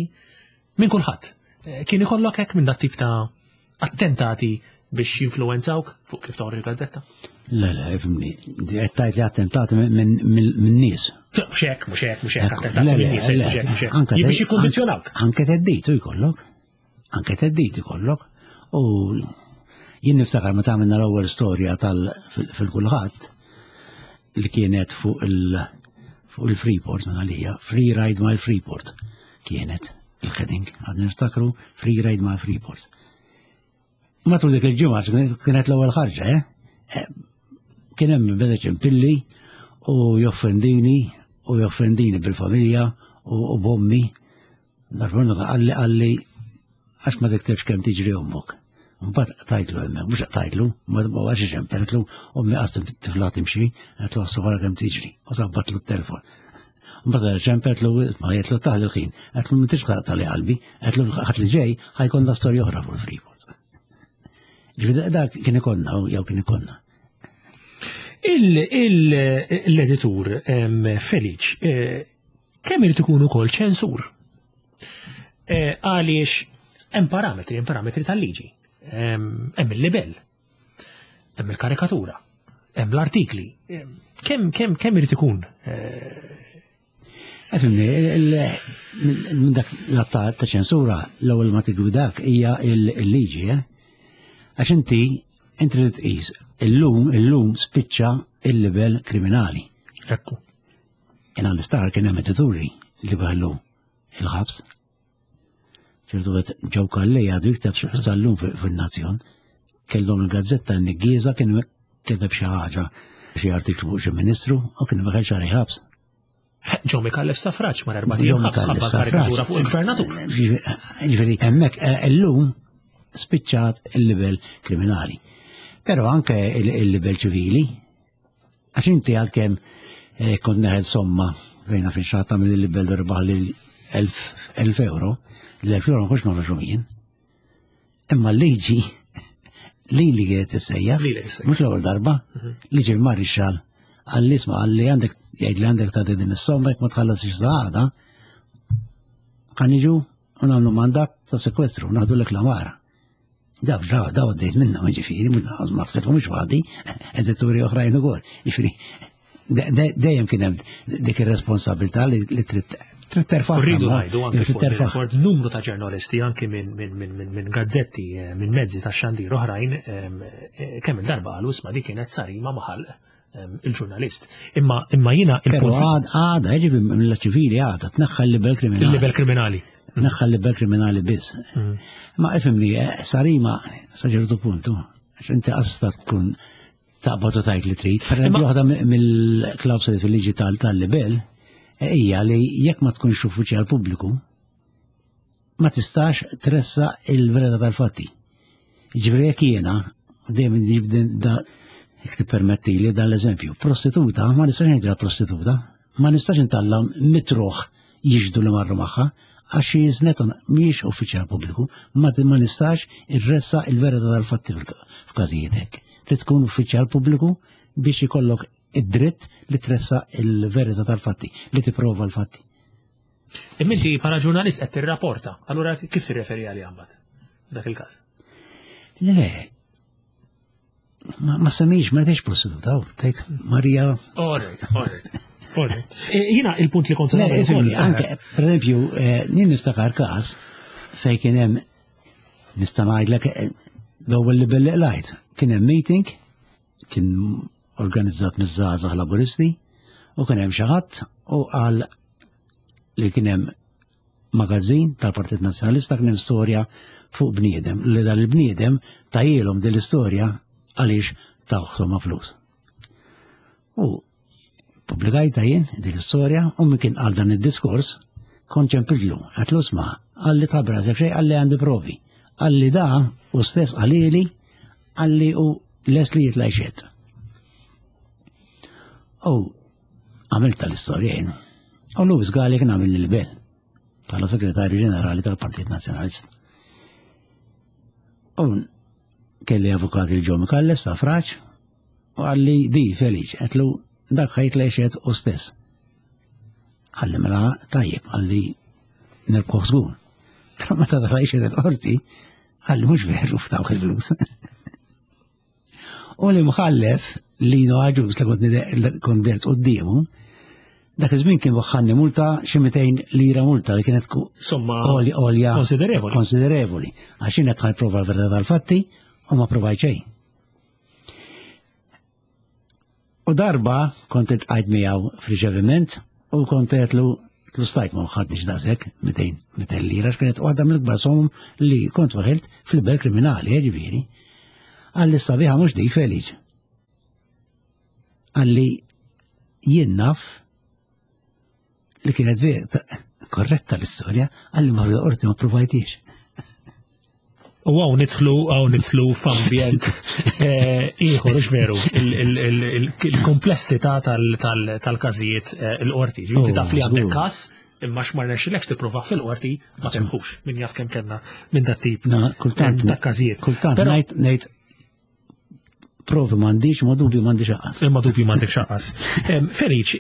minn kulħadd. Eh, kien ikollok hekk minn dat tip ta' attentati biex jinfluwenzawk fuq kif toħroġ il-gazzetta? Le, le, fimni, qed tgħid li attentati minn nies. Mhux hekk, mhux hekk, mhux hekk, attentati minn nies, mhux hekk, mhux hekk. Biex jikkondizzjonawk. Anke teddit jkollok. Anke teddit ikollok. U jien niftakar meta għamilna l-ewwel storja tal fil-kulħadd li kienet fuq il fuq il-Freeport minn għalija, Free Ride mal Freeport kienet il-heading, għad niftakru Free Ride mal Freeport. Matul dik il-ġimgħa kienet l-ewwel ħarġa, eh? eh kien hemm beda ċempilli u joffendini u joffendini bil-familja u bommi Darba qalli qalli għax ma tiktibx kemm tiġri ommok. Mbagħad tajtlu hemmhekk, mhux tajtlu, ma għax ixempeltlu, ommi qas tifla timxi, qed għara kemm tiġri, u sabbatlu t-telefon. Mbagħad ċempeltlu ma jgħidlu taħli l-ħin, qedlu m'intix tali qalbi, qedlu ħadd li ġej ħajkonna storja oħra fuq il-Freeport. Ġifieri dak kien ikonna jew kien ikonna. L-editur Feliċ eh, kemm irid ikun ukoll ċensur? Eh, għaliex hemm parametri, hemm parametri tal-liġi, hemm il-libell, hemm il-karikatura, hemm l-artikli. Kemm kemm kemm irid ikun? Eh, Efimni, minn dak l-att ta' ċensura, l-ewwel ma tigwidak hija l-liġi, eh? Għax inti inti trid tqis illum illum spiċċa il-livell kriminali. Ekku. Jena niftakar kien hemm edituri li baħlu il-ħabs. ċertu għet ġew kalli għadu jikteb sal-lum fil-nazzjon. Kellhom il-gazzetta n-niggiża kien kiteb xi ħaġa xi artiklu fuq xi ministru u kien baħel xahar ħabs. Ġew Mikallef Safraċ mar erba' ħabs ħabba karikatura fuq il-gvernatur. Ġifieri hemmhekk eh, illum spiċċat il-livell kriminali. Però anke il-livell ċivili, Għax inti għalkemm eh, kont neħel somma fejna fi xaħat tagħmel il-libel darbaħ li 1000 euro, l-1000 euro ma kontx noħroġhom jien. Imma l-liġi li li kienet tissejja, mhux l-ewwel darba, mhm. liġi l-marixxal għalli isma' għalli għandek jgħid li għandek ta' din is-somma jekk ma tħallasx saħada, kan iġu u nagħmlu mandat ta' sekwestru, naħdu l l-amara. Daw, daw, daw għaddejt minna, ġifiri, ma ħsibtu mhux waħdi, edituri oħrajn ukoll. Ġifiri, dejjem kien hemm dik ir-responsabilità li trid trid terfa'. Rridu ngħidu anke fuq numru ta' ġurnalisti anke minn gazzetti, eh, minn mezzi ta' xandir oħrajn, eh, kemm il-darba qalu isma' dik kienet sarima maħal il-ġurnalist. Imma imma jiena il-punt. Għada, ġifi mill-ċivili għada, tneħħa l-libel kriminali. Il-libel kriminali. Tneħħa l-libel kriminali biss. Mm. Ma ifimni, eh, sarima, sa ċertu puntu, għax inti għasta tkun taqbad u tajt li trid. Per eżempju, waħda mill-klawsoli fil-liġi tal-libel eh, hija li jekk ma tkunx uffiċjal pubbliku, ma tistax tressa il-verità tal-fatti. Ġifieri jekk jiena, dejjem nġib da jekk tippermetti li dan l-eżempju, prostituta, ma nistax ngħidilha prostituta, ma nistax intalla mitruħ jiġdu li marru magħha, għax jiżnet mhijiex uffiċjal pubbliku, ma ma nistax irressa il-verità tal-fatti f'każijiet hekk. Li tkun uffiċjal pubbliku biex ikollok id-dritt li tressa il-verità tal-fatti, li tipprova l-fatti. Imma inti bħala ġurnalist qed tirrapporta, allura kif tirreferi għalija mbagħad dak il-każ? Le, ma, ma semmix, ma tgħidx prostituta, tgħid Marija. All right, all right. Eh, jiena il-punt li kont se nagħmel. Anke, per eżempju, eh, nien niftakar każ fejn kien hemm nista' ngħidlek eh, l-ewwel li belli qlajt, kien hemm meeting kien organizzat miż-żgħażagħ Laburisti u kien hemm xi ħadd u qal li kien hemm magazzin tal-Partit Nazzjonalista kien hemm storja fuq bniedem li dan il-bniedem tajilhom din l-istorja għaliex tawh somma flus. U publikajta jien din l-istorja u min kien qal dan id-diskors kont ċempiltlu, għatlu sma, għalli tabra xejn għalli għandi provi. Għalli da u stess għalili għalli u les li jitla jxed. U għamilt tal-istorja jien. U Louis Gali kien għamil l-bel bħala segretarju ġenerali tal-Partit Nazzjonalista. U kelli avukat il-ġo Mikallef sa' fraċ u għalli di Feliċ, għetlu dak ħajt lejxet u stess. Għalli mela tajjeb, għalli nirbħu żgur. Però meta dara jxed il-qorti, għalli mhux veru f'dawk il-flus. U li mħallef Lino Agius li kont derz quddiemu, dak iż-żmien kien waħħalni multa xi 200 lira multa li kienet somma għolja konsiderevoli. Konsiderevoli. Għax jien qed prova l-verità tal-fatti u ma provajt xejn. U darba kont iltqajt miegħu f'riċeviment u kont għedtlu tlu stajt ma ħadniex daqshekk 200 lira x'kienet waħda mill-ikbar somom li kont waħilt fil-bel kriminali, eh, ġifieri. Għalli sabiħa mhux dik Feliċ. Għalli jien naf li kienet vera korretta l-istorja, għalli ma fil-qorti ma provajtiex. U għaw nitlu, għaw nitlu f'ambjent eh, ieħor, ux veru, il-komplessità tal-każijiet eh, il-qorti. Inti oh, taf li għandek każ, imma x'ma rnexxilekx tipprova fil-qorti ma temħux min jaf kemm kellna minn dat tip kultant ta' każijiet. Kultant ngħid ngħid provi m'għandix, ma dubju m'għandix aqqas. Ma dubju m'għandix aqqas. Feliċ,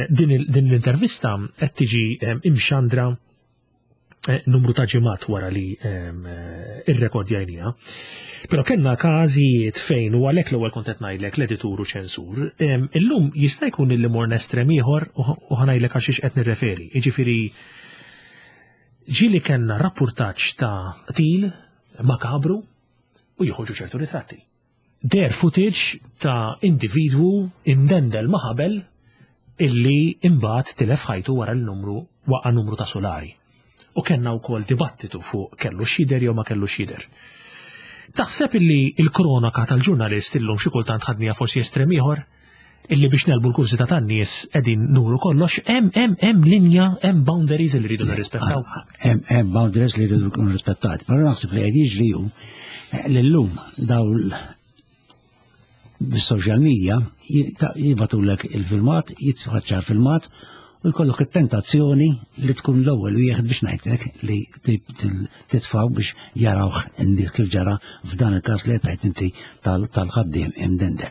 din l-intervista qed tiġi imxandra Eh, numru ta' ġimgħat wara li ehm, eh, irrekordjajnija. Però kellna każijiet fejn u għalhekk l-ewwel kont qed ngħidlek l-editur u ċensur, ehm, illum jista' jkun illi morna estrem ieħor u ħanajlek għax qed nirreferi. Jiġifieri ġieli kellna rappurtaġġ ta' qtil makabru u joħorġu ċertu ritratti. Deher footage ta' individwu imdendel ma' ħabel illi imbagħad tilef ħajtu wara li numru waqa' numru ta' sulari. U kellna wkoll dibattitu fuq kellu x'jidher jew ma kellux jidher. Taħseb illi l-kronaka tal-ġurnalist illum xi kultant ħadniha forsi estrem ieħor? Illi biex nelbu l-kurżità tan-nies qegħdin nuru kollox, hemm hemm hemm linja, hemm boundaries li rridu nirrispettaw. Hemm hemm boundaries li rridu jkunu rispettati, però naħseb li qed jiġri hu eh, li llum daw bis-social media jibatulek il-filmat, jitfaċċa filmat u jkollok it-tentazzjoni li tkun l-ewwel wieħed biex ngħidlek li titfaw biex jarawh in-nies kif ġara f'dan il-każ li qed inti tal-ħaddiem imdende.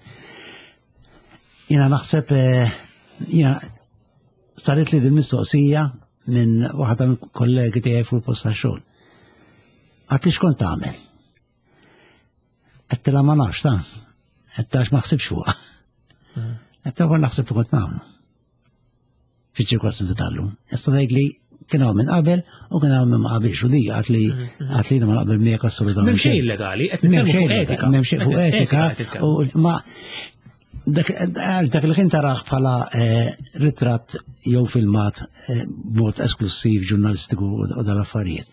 Jiena naħseb eh, jiena saret li din mistoqsija minn waħda minn kollegi tiegħi fuq il-post tax-xogħol. Għad li xkont tagħmel? Għedtilha ma nafx ta' għedtilha ma ħsibx fuqha. Mm. Għedtilha naħseb li kont nagħmlu. Fiċ-ċirkostanzi tal-lum. Issa tgħid li kien hawn minn qabel u kien hawn minn ma qabilx u di għad li mm, mm. għad li ma naqbel miegħek assolutament. M'hemm xejn illegali, qed nitkellmu fuq etika. M'hemm xejn fuq etika u ma dak li kien taraħ bħala eh, ritratt jew filmat eh, b'mod esklusiv ġurnalistiku u dal-affarijiet.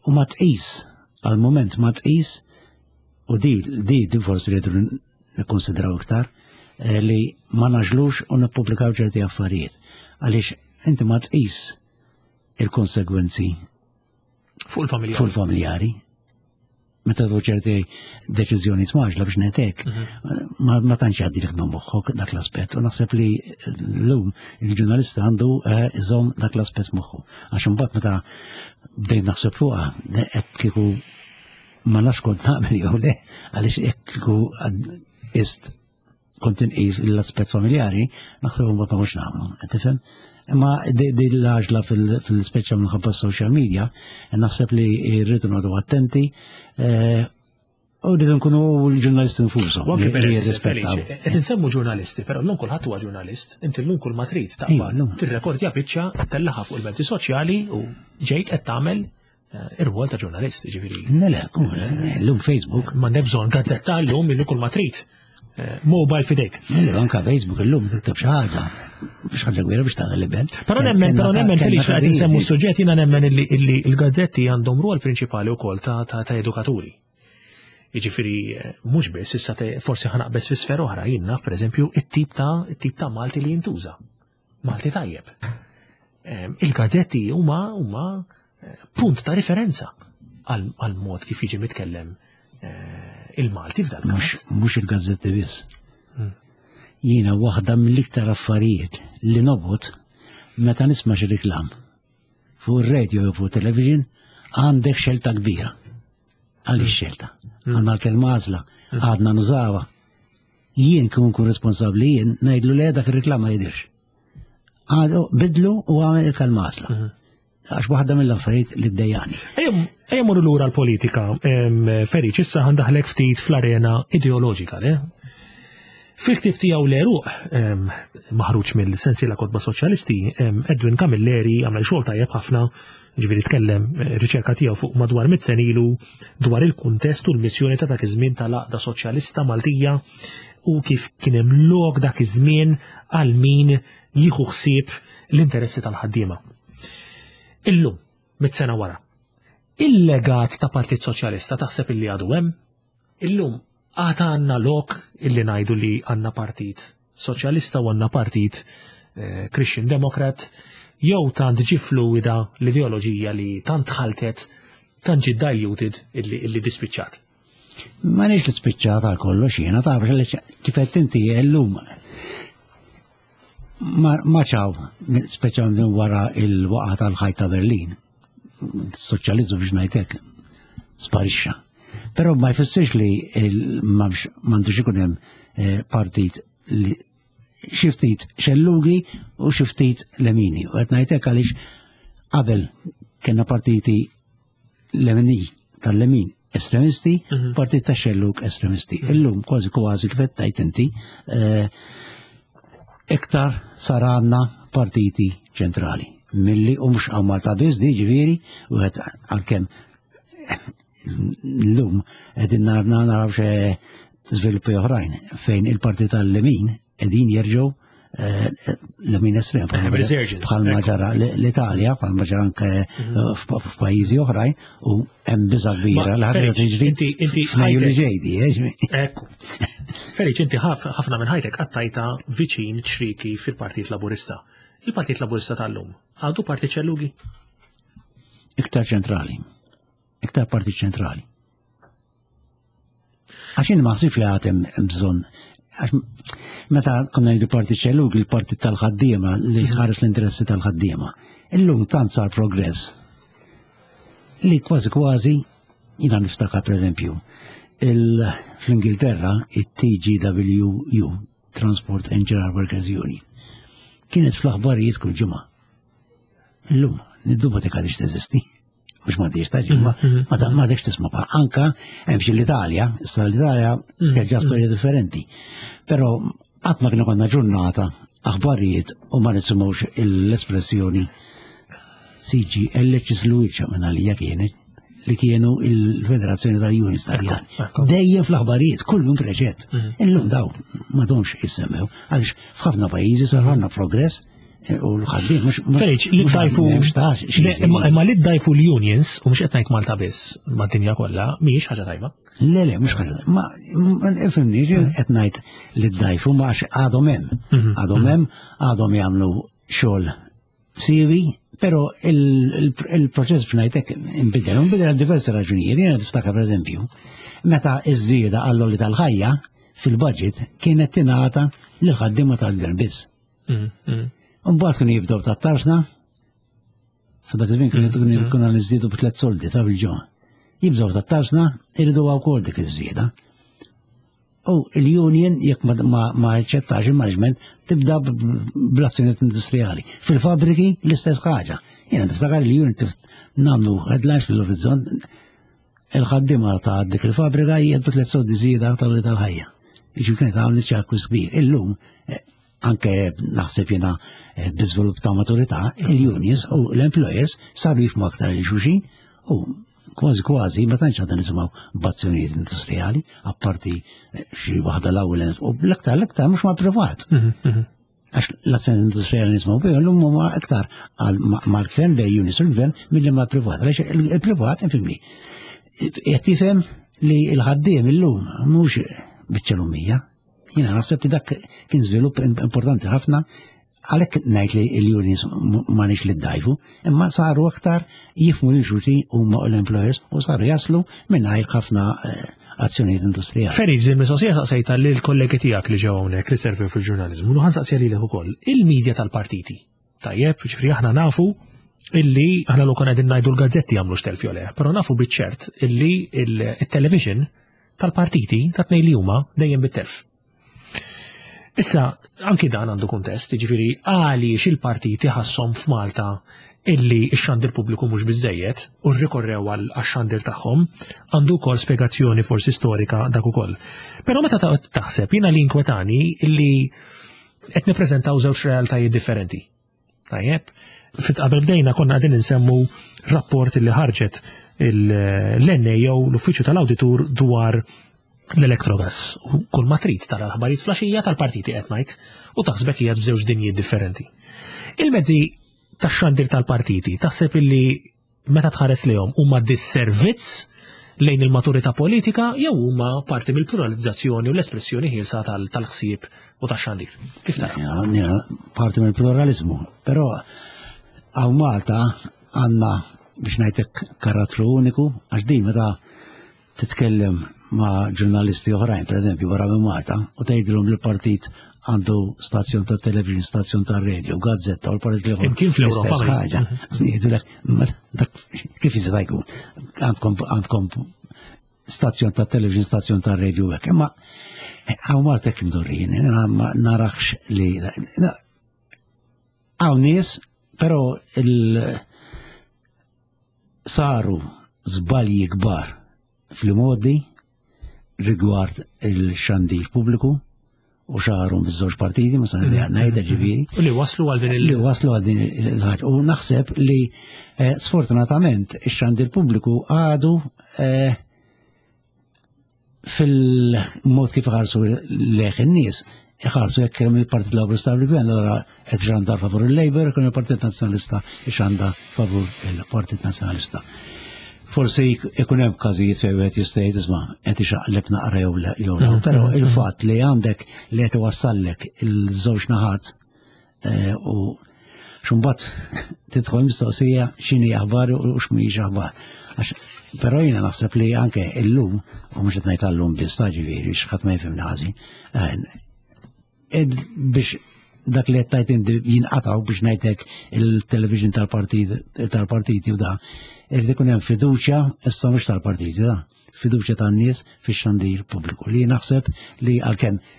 U ma tqis għal-moment ma tqis u di di di forsi li nikkonsidraw iktar eh, li ma naġlux u nippubblikaw ċerti affarijiet. Għaliex inti ma tqis il-konsegwenzi fuq il-familjari. Fuq il-familjari. Meta tu ċerti deċiżjoni tmaġla biex netek, mhm. ma tantx jgħaddi lik minn moħħok dak l-aspett. U naħseb li l-lum il-ġurnalista għandu eh, iżomm dak l-aspett moħħu. Għax imbagħad meta bdejt naħseb fuqha, qed kieku ma nafx kont naqbel jew le, għaliex jekk kieku ist kont inqis l-aspett familjari, naħseb ma kontx nagħmlu, qed tifhem? Imma di l-għaġla fil-speċa minħabba social media, naħseb li rridu noqogħdu attenti eh, U rridu nkunu l-ġurnalisti nfushom. U anke li peress, jirrispettaw. Felice, qed insemmu ġurnalisti, però llum kulħadd huwa ġurnalist, inti llum kull ma trid Iva, taqbad, llum. tirrekordja biċċa, tellaħa fuq il-mezzi soċjali u ġejt qed tagħmel eh, ir-rwol ta' ġurnalist, ġifieri. Le, le, llum Facebook. M'għandek bżonn gazzetta llum illi kull ma trid. Eh, Mobile fidejk. Le, le, anka Facebook illum tikteb xi ħaġa. Biex ħaġa kbira biex tagħmel libel. Però nemmen, però nemmen Felice qed insemmu s-suġġett jiena nemmen illi illi l-gazzetti għandhom rwol prinċipali wkoll ta' ta' ta' edukaturi. Jiġifieri eh, mhux biss issa te- forsi ħanaqbeż fi sfera oħra jien naf pereżempju it-tip ta' it-tip ta' Malti li jintuża. Malti tajjeb. Em, Il-gazzetti huma huma eh, punt ta' riferenza għal għal mod kif jiġi mitkellem eh, il-Malti f'dan Mhux mhux il-gazzetti biss. Jiena waħda mill-iktar affarijiet li nobgħod meta nisma' xi reklam fuq ir-radio jew fuq television għandek xelta kbira. Għaliex xelta? Għandna l-kelma għażla, għadna nużawha. Jien kien nkun responsabbli jien ngħidlu le dak ir-reklam ma jidirx. Għadu bidlu u għamel il-kelma għażla. Għax waħda mill-affarijiet li ddejjaqni. Ejja morru lura l-politika, em, Feriċ, issa ħandaħlek ftit fl-arena ideoloġika, le? Fil-ktib tiegħu l-eruq em, maħruġ mill-sensiela kotba soċjalisti, em, Edwin Camilleri għamel xogħol tajjeb ħafna, ġifieri tkellem eh, riċerka tiegħu fuq madwar mit sena ilu dwar il-kuntest u l-missjoni ta' dak iż-żmien tal-Għaqda Soċjalista Maltija u kif kien hemm lok dak iż-żmien għal min jieħu ħsieb l-interessi tal-ħaddiema. Illum, mit sena wara, il-legat ta' Partit Soċjalista taħseb illi għadu hemm? Illum għad għandna lok illi ngħidu li għandna Partit Soċjalista u għandna Partit eh, Christian Democrat jew tant ġi fluida l-ideoloġija li tant ħaltet, tant ġi diluted illi, illi dispiċċat. Ma nix li spiċċat għal kollox jiena taf li kif qed inti llum ma ma ċaw, speċjalment minn wara il-waqa tal-ħajt ta' Berlin. Soċjalizmu biex ngħidlek sparixxa. Però ma jfissirx li il- m'hemmx- m'għandux ikun hemm eh, partit li xi ftit xellugi u xi ftit lemini. U qed ngħidlek għaliex qabel kellna partiti lemini tal-lemin estremisti, partit ta' xellug estremisti. Illum kważi kważi kif qed tgħid inti, eh, iktar sar għandna partiti ċentrali. Milli u mhux hawn Malta biss di ġifieri, u qed għalkemm llum qegħdin narna naraw xe żviluppi oħrajn fejn il-partit tal-lemin qegħdin jerġgħu eh, lemin estrem bħalma Resurgence, bħalma ekku. ġara l- l-Italja, bħalma ġara anke eh, f'pajjiżi oħrajn u hemm biża kbira Ma, li ħaġa Feliċ, tiġri inti- inti f'Mejju li ħajtek- ġejdi, eh, ġmi- Ekku. Feliċ, inti ħaf- ħafna minn ħajtek qattajta viċin ċriki fil-Partit Laburista. Il-Partit Laburista tal-lum għadu partit ċellugi? iktar ċentrali, iktar partit ċentrali. Għax jien ma ħsibx li għad hemm hemm bżonn għax meta konna ngħidu partit xellug, il-partit tal-ħaddiema li ħares l-interessi tal-ħaddiema. Illum tant sar progress li kważi kważi jiena niftakar pereżempju il fl-Ingilterra it-TGWU Transport and General Workers Union kienet fl-aħbarijiet kull ġimgħa. Illum, niddubita dik għadix teżisti. Mux ma diġ taġi, ma ma ta- ma dikx tisma' pa. Anka hemm xi l-Italja, issa l-Italja terġa' storja differenti. Però qatt ma kienu konna ġurnata aħbarijiet u ma nisimgħux l-espressjoni CGL ċisluċa minn għalija kienet li kienu il-Federazzjoni tal-Unions Taljan. Ekku, ekku. Dejjem fl-aħbarijiet, kull jum preġett. Illum daw m'għadhomx jissemmew, għaliex f'ħafna pajjiżi sar ħafna progress eh, u l-ħaddiem mhux Feliċ, li mhux ddajfu. m'hemmx tax, xi Le, Imma imma li ddajfu l-unions, u mhux qed ngħid Malta biss, mad-dinja kollha, mhijiex ħaġa tajba. Le, le, mhux ħaġa. Ma, ma ifhimni, qed ngħid li ddajfu ma għax għadhom hemm. Għadhom hemm, għadhom jagħmlu xogħol siwi, però il- il- il-proċess biex ngħidlek inbidel, inbidel għal diversi raġunijiet. Jiena niftakar pereżempju, meta iż-żieda għall-għoli tal-ħajja fil-budget kienet tingħata lil ħaddiema tal-gvern biss. Mbagħad kienu jibdew tat-tarsna, sa dak iż-żmien kienu kienu konna niżdiedu b'tliet soldi ta' bil-ġimgħa. Jibżgħu tat-tarsna, iridu wkoll dik iż-żieda. U il-union jekk ma, ma, ma jaċċettax il-management tibda b- b- bl-azzjonijiet industrijali. Fil-fabriki l-istess ħaġa. Jiena niftakar il-union tif- nagħmlu headlines fil-orizzont. Il-ħaddiema ta' dik il-fabrika jgħaddu tliet soldi żieda tal tal-ħajja. Jiġifieri kienet għamlet ċakku kbir. Illum eh, anke naħseb jiena eh, biżvilupp ta' maturità, il-unions u l-employers saru jifmu aktar il-xulxin u kważi kważi ma tantx għadna nisimgħu b'azzjonijiet industrijali, apparti eh, xi waħda l-ewwel u l-aktar l-aktar mhux ma' privat. Mhm, mhm. Għax l-azzjoni industrijali nismaw bih, l-lum huma aktar mal-gvern bej unis u l-gvern milli mal-privat. Għax il-privat, infimni, qed jifhem li l-ħaddiem illum mhux biċċa lumija. Jiena naħseb li dak kien żvilupp importanti ħafna għalhekk ngħid li l-unions ma nix li ddajfu, imma saru aktar jifmu lil xulxin huma l-employers u saru jaslu mingħajr ħafna eh, azzjonijiet industrijali. Ferid, din mistoqsija saqsejta lil kollegi tiegħek li ġew hawnhekk li servew fil-ġurnaliżmu, u ħansaqsija lilek ukoll. Il-medja tal-partiti. Tajjeb, ġifieri aħna nafu illi aħna l qegħdin ngħidu l-gazzetti jagħmlu xtelf jew le, però nafu biċ-ċert illi il-television tal-partiti ta' tnejn li huma dejjem bit-telf. Issa, anki dan għandu kuntest, ġifiri, għaliex il-partiti ħassom f'Malta illi x-xandir pubbliku mhux biżejjed u rrikorrew għal xandir tagħhom, għandu wkoll spjegazzjoni forsi storika dak ukoll. Però meta taħseb jiena li inkwetani illi qed nippreżentaw żewġ realtajiet differenti. Tajjeb, fit qabel bdejna konna qegħdin insemmu rapport li ħarġet l-NAO l-Uffiċċju tal-Awditur dwar l-Electrogas. U kull ma trid tara l-aħbarijiet flaxija tal-partiti qed ngħid u taħsbek hija f'żewġ dinjiet differenti. Il-mezzi tax-xandir tal-partiti taħseb illi meta tħares lejhom huma disservizz lejn il-maturità politika jew huma parti mill-pluralizzazzjoni u l-espressjoni ħielsa tal-ħsieb u tax-xandir. Kif tara? Parti mill-pluralizmu, però hawn Malta għandna biex ngħidlek karattru uniku għax din meta titkellem ma' ġurnalisti oħrajn, per eżempju, barra minn Malta, u tgħidilhom li l-partit għandu stazzjon ta' television, stazzjon ta' radio, gazzetta, u l-partit li Imkien fl-Ewropa. ħaġa. Kif jista' jkun? Għandkom stazzjon ta' television, stazzjon ta' radio, hekk. Imma hawn Malta hekk imdorrin, ma narax li hawn nies, però il- Saru żbalji kbar fl-imgħoddi rigward il-xandir pubbliku u xaru miż-żewġ partiti, ma se nibda ngħidha ġifieri. U li waslu għal din il- Li waslu għal din il-ħaġa. U naħseb li eh, sfortunatament ix-xandir pubbliku għadu eh, fil-mod kif iħarsu leħ in-nies, iħarsu jekk hemm il-Partit Laburista u l-Gvern, allura qed xandar favur il-Labour, ikun il-Partit Nazzjonalista xandar favur il-Partit Nazzjonalista. Forsi ikun hemm każijiet fejn wieħed jista' jgħid isma' qed ixaqleb naqra jew le jew le, mhm. però il-fatt li għandek li qed iwassallek il-żewġ naħat Eh, u xumbat tidħol mistoqsija x'inhi aħbar u x'mhijiex aħbar. Però jiena naħseb li anke illum, u mhux qed ngħid għallum biss ta' ġifieri x'ħadd ma jifhimni ħażin, eh, biex dak li qed tajt inti jinqataw biex ngħidlek il-television tal-partiti u da, irid ikun hemm fiduċja issa mhux tal-partiti da, fiduċja tan-nies fix-xandir pubbliku li naħseb li għalkemm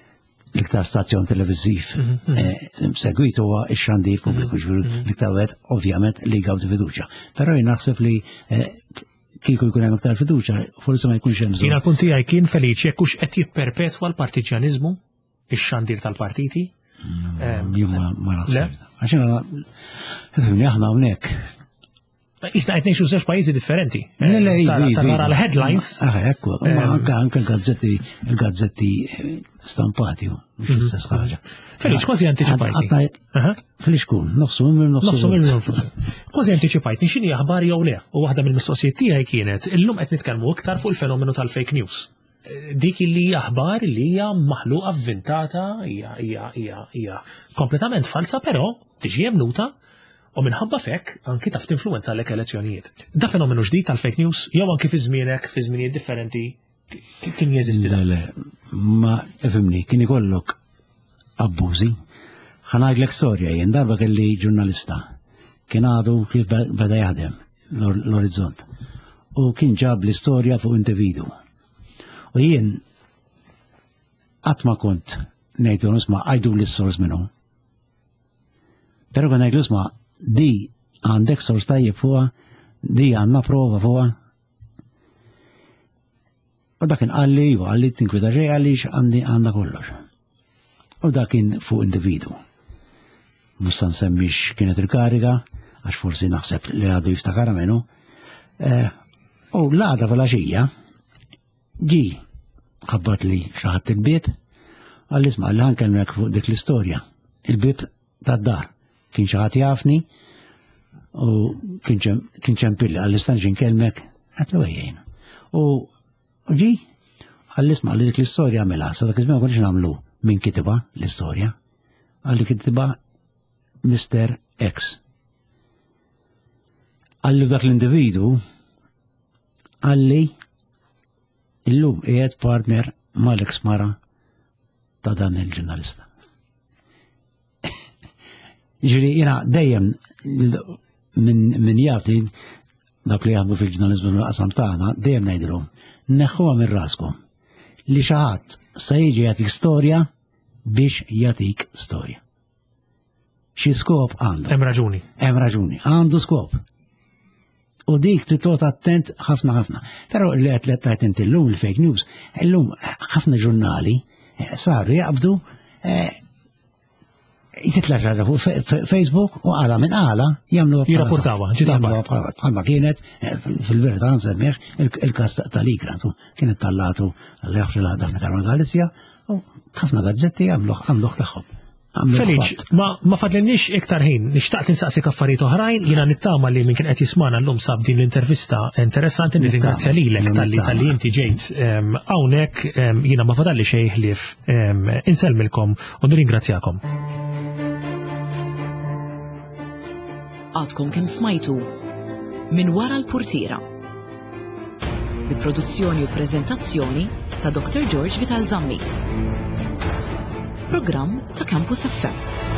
l-iktar stazzjon televiżiv mhm, mhm. eh, segwit huwa x-xandir pubbliku mhm, ġifieri l-iktar wieħed ovvjament li jgawdi fiduċja. Però jien naħseb li eh, kieku jkun hemm iktar fiduċja, forsi ma jkunx hemm bżonn. Jiena punt tiegħi kien feliċi jekk hux qed jipperpetwa l-partiġjaniżmu ix-xandir tal-partiti. Mm, jien ma naħseb. Għax aħna hawnhekk Isna qed ngħixu żewġ pajjiżi differenti. Le, le, iva, iva, tara iva. l-headlines. Ah, ekku, ma eh, anke anke gazzetti il-gazzetti stampati, mhux mhm. l-istess ħaġa. Felix, kważi antiċipajt. Felix kun, nofsu minn nofsu. Nofsu minn nofsu. Kważi antiċipajt, x'inhi aħbar jew le. U waħda mill-mistoqsijiet tiegħi kienet illum qed nitkellmu iktar fuq il-fenomenu tal-fake news. Dik li hija aħbar li hija maħluqa vvintata, hija hija hija hija kompletament falsa, però tiġi emnuta u minħabba fekk anki taf tinfluwenza lek elezzjonijiet. Da fenomenu ġdid tal-fake news jew anki fi żmienek, fi żminijiet differenti kien jeżisti da? Le, ma ifhimni, kien ikollok abbużi. Ħa ngħidlek storja jien darba kelli ġurnalista kien għadu kif beda jaħdem l-orizzont. U kien ġab l-istorja fuq individu. U jien qatt ma kont ngħidu nisma' għajdu l-sors minnu. Però kont ngħidlu isma' di għandek sors tajjeb fuqha, di għandna prova fuqha. U dak kien qalli, iva, qalli tinkwita xejn għaliex għandi għandna kollox. U dak kien fuq individu. Mhux se nsemmix kienet il-kariga, għax forsi naħseb li għadu jiftakara minnu. Eh, u l-għada fil-għaxija, ġi ħabbat li xaħat il-bib, għalli isma' li ħankellmek fuq dik l-istorja. Il-bib tad-dar. Kien xi ħadd jafni u kien ċempilli għalli stanġi nkellmek għatlu ejjejn. U ġi għalli isma' li dik l-istorja għamilha, sa dak iż-żmien ma konniex nagħmlu min kitibha l-istorja. Għalli kitibha Mr. X. Għalli dak l-individu għalli illum qiegħed partner mal-ex mara ta' dan il-ġurnalista. Ġifieri jiena dejjem minn min jafni dak li jaħdmu fil-ġurnalizmu fil-qasam tagħna, dejjem ngħidilhom, neħħuha minn raskom li xi ħadd se jiġi jagħtik storja biex jagħtik storja. Xi skop għandu. Hemm raġuni. Hemm raġuni, għandu skop. U dik li tot attent ħafna ħafna. Però li qed li tajt inti llum il-fake news, illum ħafna ġurnali eh, saru jaqbdu eh, jitla ġarra fuq Facebook u għala minn għala jamlu Jirrapportawa, bħalma kienet eh, fil-verità nsemmiħ il-kas tal-ikra, kienet tallatu l-jaħx l-għadha Karma Galizja u ħafna gazzetti għamluħ għamluħ tagħhom. Feliċ, ma, ma fadlinniex iktar ħin, nishtaqt insaqsik affarijiet oħrajn, jiena nittama li minn kien qed jismana llum sab din l-intervista interessanti, nirringrazzja lilek talli talli inti ġejt hawnhekk jiena ma fadalli xejn ħlief insellmilkom u nirringrazzjakom. Għadkom kemm smajtu minn wara l-purtiera. Bi produzzjoni u preżentazzjoni ta' Dr. George Vital Zammit. Programm ta' Campus FM.